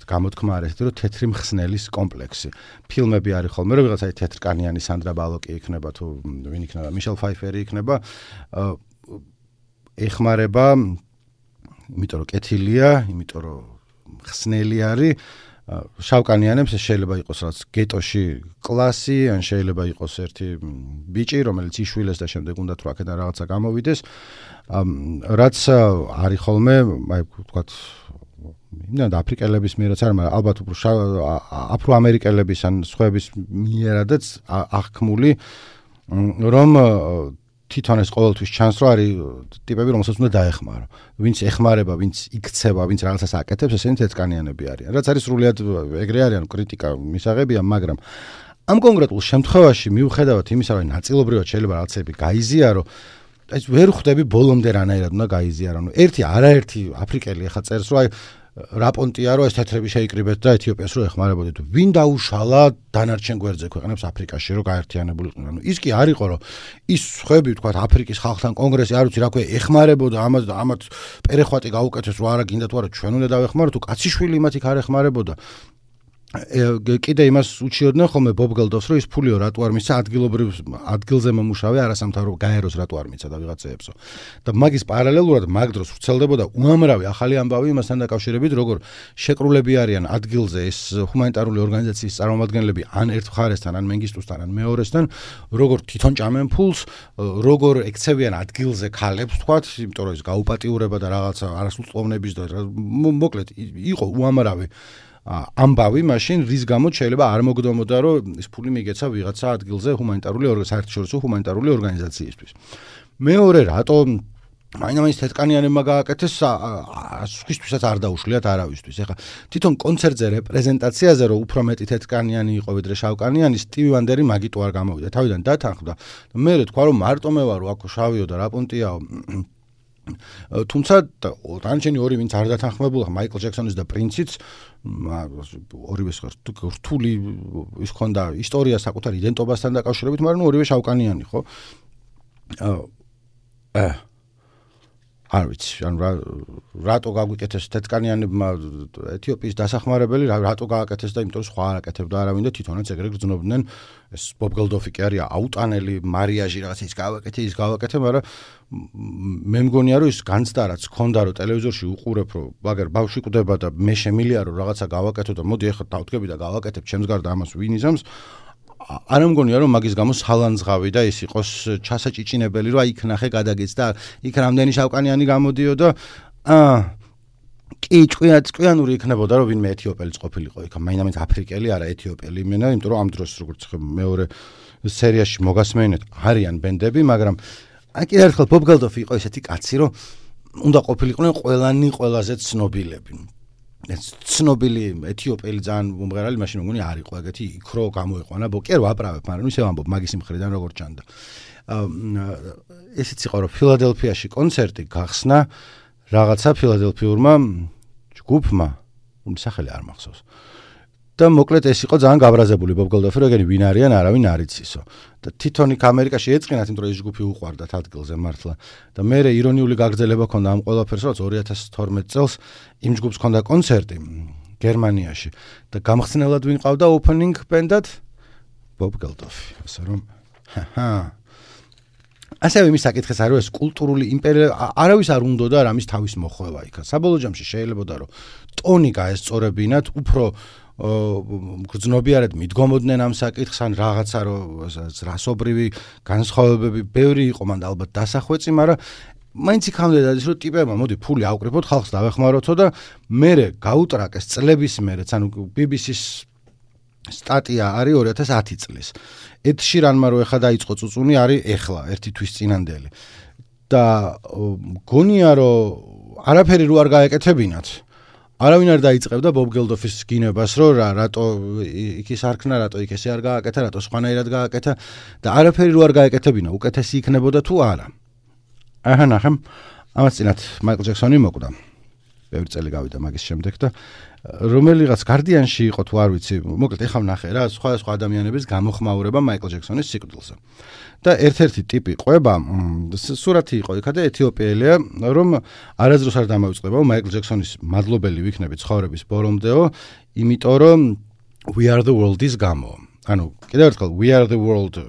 გამოთქმა არის რომ თეთრი მხსნელის კომპლექსი ფილმები არის ხოლმე რომ ვიღაცა თეთრკანიანი სანდრა ბალოკი იქნება თუ ვინ იქნება მიშელ ფაიფერი იქნება ეხმარება იმიტომ რომ კეთილია იმიტომ რომ ხსნელი არის შავკანიანებს შეიძლება იყოს რაც გეტოში კლასი ან შეიძლება იყოს ერთი ბიჭი რომელიც იშვილეს და შემდეგ უნდა თუ აქედან რაღაცა გამოვიდეს რაც არის ხოლმე აი ვთქვათ იმდან აფრიკელების მიერაც არ მაგრამ ალბათ უფრო აფროამერიკელების ან სხვების მიერადაც აღქმული რომ თვითონ ეს ყოველთვის ჩანს რომ არის ტიპები რომელსაც უნდა დაეხმარო ვინც ეხმარება ვინც იქცევა ვინც რაღაცას აკეთებს ესენი თეთრკანიანები არიან რაც არის სრულიად ეგრე არიან კრიტიკა მისაღებია მაგრამ ამ კონკრეტულ შემთხვევაში მიუხედავად იმისა რომ ნაწილობრივად შეიძლება რაღაცები გაიზიარო ეს ვერ ხვდები ბოლომდე რანაირად უნდა გაიზიარო ერთი არაერთი აფრიკელი ახლა წერს რომ აი რაპონტია რომ ეს თეთრები შეიკრიბეთ და ეთიოპიას რო ეხმარებოდეთ ვინ დაუშალა დანარჩენ გვერდზე ქვეყნებს აფრიკაში რომ გაერთიანებულიყვნენ ანუ ის კი არისო რომ ის ხვები თქვა აფრიკის ხალხთან კონგრესი არ ვიცი რა ქვია ეხმარებოდა ამას და ამათ პერეხვატი გაუკეთეს რომ არა გინდა თუ არა ჩვენ უნდა დავეხმარო თუ კაციშვილი იმათ იქ არ ეხმარებოდა კიდე იმას უჩიოდნენ ხოლმე ბობ გელდოფს რომ ის ფულიო რატო არ მისცა ადგილზე მომუშავე არასამთავრო გაეროს რატო არ მისცა და ვიღაცეებსო და მაგის პარალელურად მაგ დროს ვრცელდებოდა უამრავი ახალი ამბავი იმასთან დაკავშირებით როგორ შეკრულები არიან ადგილზე ეს ჰუმანიტარული ორგანიზაციის წარმომადგენლები ან ერთ მხარესთან ან მენგისტუსთან ან მეორესთან როგორ თვითონ ჭამენ ფულს როგორ ექცევიან ადგილზე ქალებს თქვათ იმიტომ რომ ის გაუპატიურება და რაღაცა არასრულწლოვნების და მოკლედ იყო უამრავი ამბავი მაშინ რის გამოც შეიძლება არ მოგდომოდა რომ ეს ფული მიგეცა ვიღაცა ადგილზე ჰუმანიტარული საერთაშორისო ჰუმანიტარული ორგანიზაციისთვის. მეორე რატო მაინც თეთრკანიანებმა გააკეთეს სხვისთვისაც არ დაუშლიათ არავისთვის. ეხლა თვითონ კონცერტზე რეპრეზენტაციაზე რომ უფრო მეტი თეთრკანიანი იყო ვიდრე შავკანიანი სტივი ვანდერი მაგიტო არ გამოვიდა. თავიდან დათანხმდა. მე თქვა რომ მარტო მე ვარო აქ შავიო და რაპონტიაო თუმცა დანარჩენი ორი ვინც არ დათანხმებულა მაიკლ ჯექსონის და პრინციც ორივე რთული ის ქონდა ისტორია საკუთარ იდენტობასთან დაკავშირებით მაგრამ ორივე შავკანიანი ხო არ ვიცი ან რატო გაგვიკეთეს თეთრკანიანებმა ეთიოპიის დასახმარებელი რატო გააკეთეს და იმიტომ რომ სხვა არ აკეთებდა არავინ და თვითონაც ეგრე გრძნობდნენ ეს ბობ გელდოფი კი არის აუტანელი მარიაჟი რაღაცა ის გავაკეთე მაგრამ მე მგონია რომ ის განცდა რაც ქონდა რომ ტელევიზორში უყურებ რომ მაგერ ბავშვი კვდება და მე შემილია რომ რაღაცა გავაკეთო და მოდი ახლა დავდგები და გავაკეთებ ჩემს გარდა ამას ვინ იზამს არ მგონია რომ მაგის გამო სალანძღავი და ის იყოს ჩასაჭიჭინებელი რომ აი იქ ნახე გადაგეც და იქ რამდენი შავკანიანი გამოდიოდა კი ჭკვიანური იქნებოდა რომ ვინმე ეთიოპელიც ყოფილიყო იქ მაინც აფრიკელი არა ეთიოპელი იმენა იმიტომ რომ ამ დროს როგორც მეორე სერიაში მოგასმენეთ არიან ბენდები მაგრამ აი კიდევ ერთხელ ბობ გელდოფი იყო ესეთი კაცი რომ უნდა ყოფილიყვნენ ყველანი ყველაზე ცნობილები ეს ცნობილი ეთიოპელი ძალიან მომღერალი მაშინ მგონი არ იყო ეგეთი იქ რო გამოიყვანა კი არ ვაправებ მაგრამ ისე ვამბობ მაგის მხრიდან როგორ ჩანდა ესეც იყო რომ ფილადელფიაში კონცერტი გახსნა რაღაცა ფილადელფიურმა ჯგუფმა სახელი არ მახსოვს და მოკლედ ეს იყო ძალიან გაბრაზებული ბობ გელდოფი რომ ეგენი ვინ არიან არავინ არ იცისო და თვითონ იქ ამერიკაში ეწყინათ იმიტომ რომ ეს ჯგუფი უყვარდათ ადგილზე მართლა და მე ირონიული გაგრძელება ქონდა ამ ყველაფერს რომ 2012 წელს იმ ჯგუფს ქონდა კონცერტი გერმანიაში და გამხსნელად ვინ ყავდა ოპენინგ ბენდად ბობ გელდოფი ასე რომ ასევე იმის საკითხეს არის ეს კულტურული იმპერია არავის არ უნდოდა რამის თავის მოხვევა იქა საბოლოო ჯამში შეიძლებოდა რომ ტონი გაესწორებინათ უფრო გრძნობიარად მიდგომოდნენ ამ საკითხს ან რაღაცა რომ რასობრივი განსხვავებები ბევრი იყო მანდ ალბათ დასახვეწი მაგრამ მაინც იქამდე დადის რომ ტიპებმა მოდი ფული აუკრიფოთ ხალხს დავეხმაროთო და მერე გაუტრაკეს წლების მერეც ანუ BBC-ს სტატია არის 2010 წლის ედ შირანმა რო ეხა დაიწყო წუწუნი არის ეხლა ერთი თვის წინანდელი და გონია რომ არაფერი რო არ გაეკეთებინათ არავინ არ დაიწყებდა ბობ გელდოფის გინებას რომ რატო იქ ის არქნა რატო იქ ესე არ გააკეთა რატო სხვანაირად გააკეთა და არაფერი რო არ გაეკეთებინა უკეთესი იქნებოდა თუ არა აჰა ნახემ ამას წინათ მაიკლ ჯექსონი მოკვდა ბევრი წელი გავიდა მაგის შემდეგ და რომელიღაც გარდიანში იყო თუ არ ვიცი მოკლედ ეხლა ვნახე რა სხვა ადამიანების გამოხმაურება მაიკლ ჯექსონის სიკვდილზე და ერთ-ერთი ტიპი ყვება სურათი იყო იქა და ეთიოპიელია რომ არასდროს არ დამოიწყება მაიკლ ჯექსონის მადლობელი ვიქნები ცხოვრების ბოლომდეო იმიტომ რომ We Are The World-ის გამო ანუ კიდევ ერთხელ We Are The World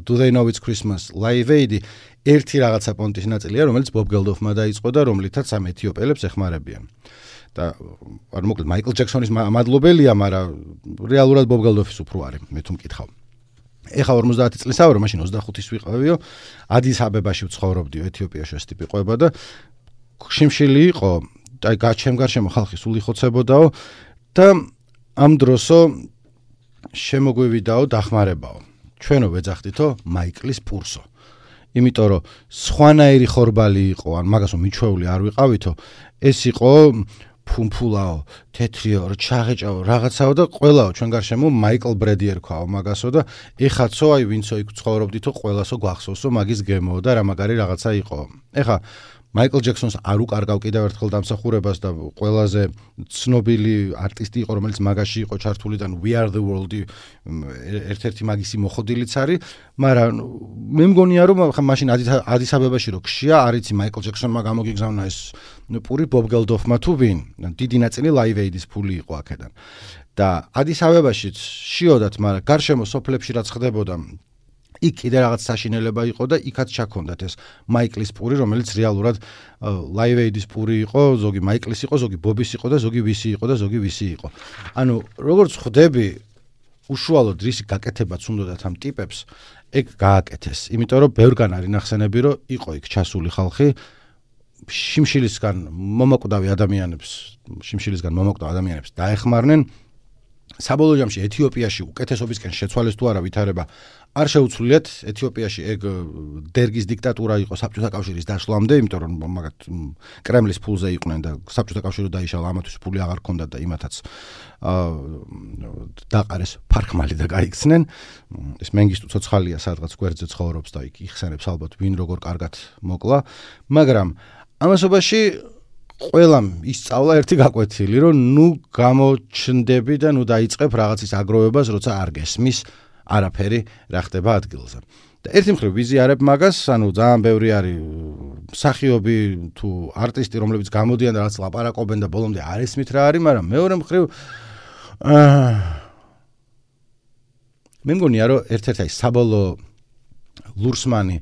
Do They Know It's Christmas Live Aid ერთი რაღაცა პონტის ნაწილია რომელიც ბობ გელდოფმა დაიწყო და რომლითაც ამ ეთიოპიელებს ეხმარებიან და არ მოკლედ მაიკლ ჯექსონის მადლობელია, მაგრამ რეალურად ბობ გელდოფის უფრო არის, მე თუ მკითხავ. ეხა 50 წლისაა, რომ მაშინ 25-ის ვიყავიო, ადის აბებაში ვცხოვრობდიო, ეთიოპიაში ეს ტიპი ყვება და შიმშილი იყო, და ჩემ-გარშემო ხალხი სულ იხოცებოდაო და ამ დროსო შემოგვივიდაო დახმარებაო. ჩვენო ვეძახდითო მაიკლის პურსო. იმიტომ რომ სხვანაირი ხორბალი იყო, ან მაგასო მიჩვეული არ ვიყავითო, ეს იყო ფუმფულაო, თეთრიო, ჩაღეჭაო, რაღაცაო და ყველაო ჩვენ გარშემო მაიკლ ბრედი ერქვაო მაგასო და ეხაცო აი ვინცო იქ ცხოვრობდითო ყველასო გვახსოვსო მაგის გემო და რა მაგარი რაღაცა იყო. ეხა მაიკლ ჯექსონს არ უკარგავ კიდევ ერთხელ დამსახურებას და ყველაზე ცნობილი არტისტი იყო რომელიც მაგაში იყო ჩართული და We Are The World ერთ-ერთი მაგისი მოხდილიც არის, მაგრამ მე მგონია რომ მაშინ ადის-აბებაში რო გშია არიცი მაიკლ ჯექსონმა გამოგიგზავნა ეს პური ბობ გელდოფმა თუ ვინ, დიდი ნაწილი Live Aid-ის ფული იყო აქედან. და ადის-აბებაშიც შიოდათ, მაგრამ გარშემო სოფლებში რაც ხდებოდა იქ კიდე რაღაც საშინელება იყო და იქაც ჩაქონდათ ეს მაიკლის პური, რომელიც რეალურად Live Aid-ის პური იყო, ზოგი მაიკლის იყო, ზოგი ბობის იყო და ზოგი ვისი იყო და ზოგი ვისი იყო. ანუ როგორც ხვდები, უშუალოდ რისი გაკეთებაც უნდათ ამ ტიპებს, ეგ გააკეთეს. იმიტომ რომ ბევრგან არის ნახსენები, რომ იყო იქ ჩასული ხალხი შიმშილისგან მომაკვდავ ადამიანებს დაეხმარნენ. საბოლოო ჯამში ეთიოპიაში უკეთესობისკენ შეცვალეს თუ არა ვითარება არ შეუცვლიათ ეთიოპიაში ეგ დერგის დიქტატურა იყო საბჭოთა კავშირის დაშლამდე, იმიტომ რომ მაგათ კრემლის ფულზე იყვნენ და საბჭოთა კავშირი დაიშალა, ამათვის ფული აღარ ჰქონდათ და იმათაც დაყარეს ფარხმალი და გაიქცნენ. ეს მენგისტუ ცოცხალია სადღაც გვერდზე ცხოვრობს და იქ იხსენებს ალბათ ვინ როგორ კარგად მოკლა, მაგრამ ამასობაში ყველამ ისწავლა ერთი გაკვეთილი, რომ ნუ გამოჩნდები და ნუ დაიწყებ რაღაცის აგროვებას, როცა არ გესმის არაფერი რა ხდება ადგილზე. და ერთი მხრივ ვიზიარებ მაგას, ანუ ძალიან ბევრი არის მსახიობი თუ არტისტი, რომლებიც გამოდიან და რაღაც ლაპარაკობენ და ბოლომდე არ ესმით რა არის, მაგრამ მეორე მხრივ მე მგონია, რომ ერთ-ერთი საბოლოო ლურსმანი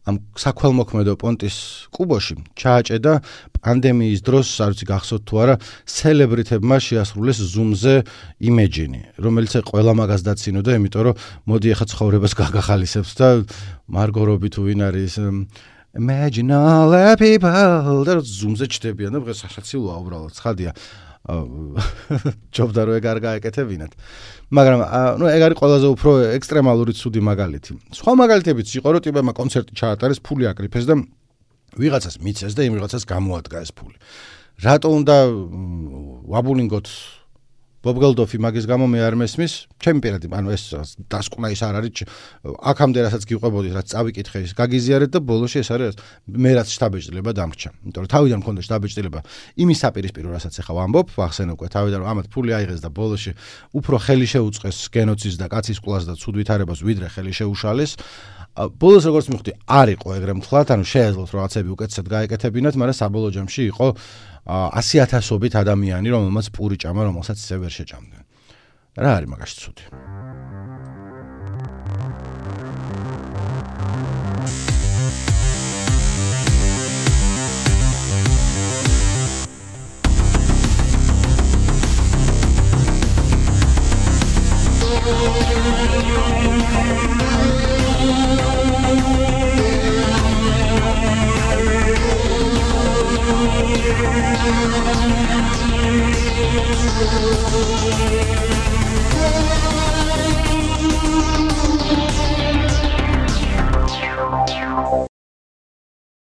ამ საქველმოქმედო პონტის კუბოში ჩააჭედა პანდემიის დროს, არ ვიცი გახსოვთ თუ არა, სელებრიტებმა შეასრულეს Zoom-ზე იმეჯინი, რომელიც ყველა მაგას დაცინოდა, იმიტომ რომ მოდი ახლა ცხოვრებას გაგახალისებს და მარგო რობი თუ ვინ არის Imagine all the people და Zoom-ზე ჩდებიან და დღეს საშაცილოა უბრალოდ, ცხადია. ჯობდა რომ ეგ არ გაეკეთებინათ. მაგრამ ნუ ეგ არის ყველაზე უფრო ექსტრემალური ცუდი მაგალითი. სხვა მაგალითებიც იყო, რომ ტიპებმა კონცერტი ჩაატარეს, ფული აკრიფეს და ვიღაცას მიცეს და იმ ვიღაცას გამოადგა ეს ფული. რატო უნდა ვაბულინგოთ ბობ გელდოფი მაგის გამო მე არ მესმის? ჩემი პირადი, ანუ ეს დასკვნა ის არ არის, აქამდე რასაც გიყვებოდით, რაც წავიკითხე ის გაგიზიარეთ და ბოლოში ეს არის მე რაც შტაბეჭდილება დამრჩა. იმიტომ რომ თავიდან მქონდა შტაბეჭდილება იმის საპირისპირო, რასაც ახლა ვამბობ, ვახსენე უკვე თავიდან რომ ამათ ფული აიღეს და ბოლოში უფრო ხელი შეუწყეს გენოციდს და კაცის კლას და ცუდ ვითარებას, ვიდრე ხელი შეუშალეს. ბოლოს როგორც მივხვდი, არ იყო ეგრე მთლად, ანუ შეეძლოთ რაღაცები უკეთესად გაეკეთებინათ, მაგრამ საბოლოო ჯამში იყო 100,000-ობით ადამიანი, რომელმაც პური ჭამა, რომელსაც ისე ვერ შეჭამდნენ. რა არის მაგაში ცუდი? Thank you.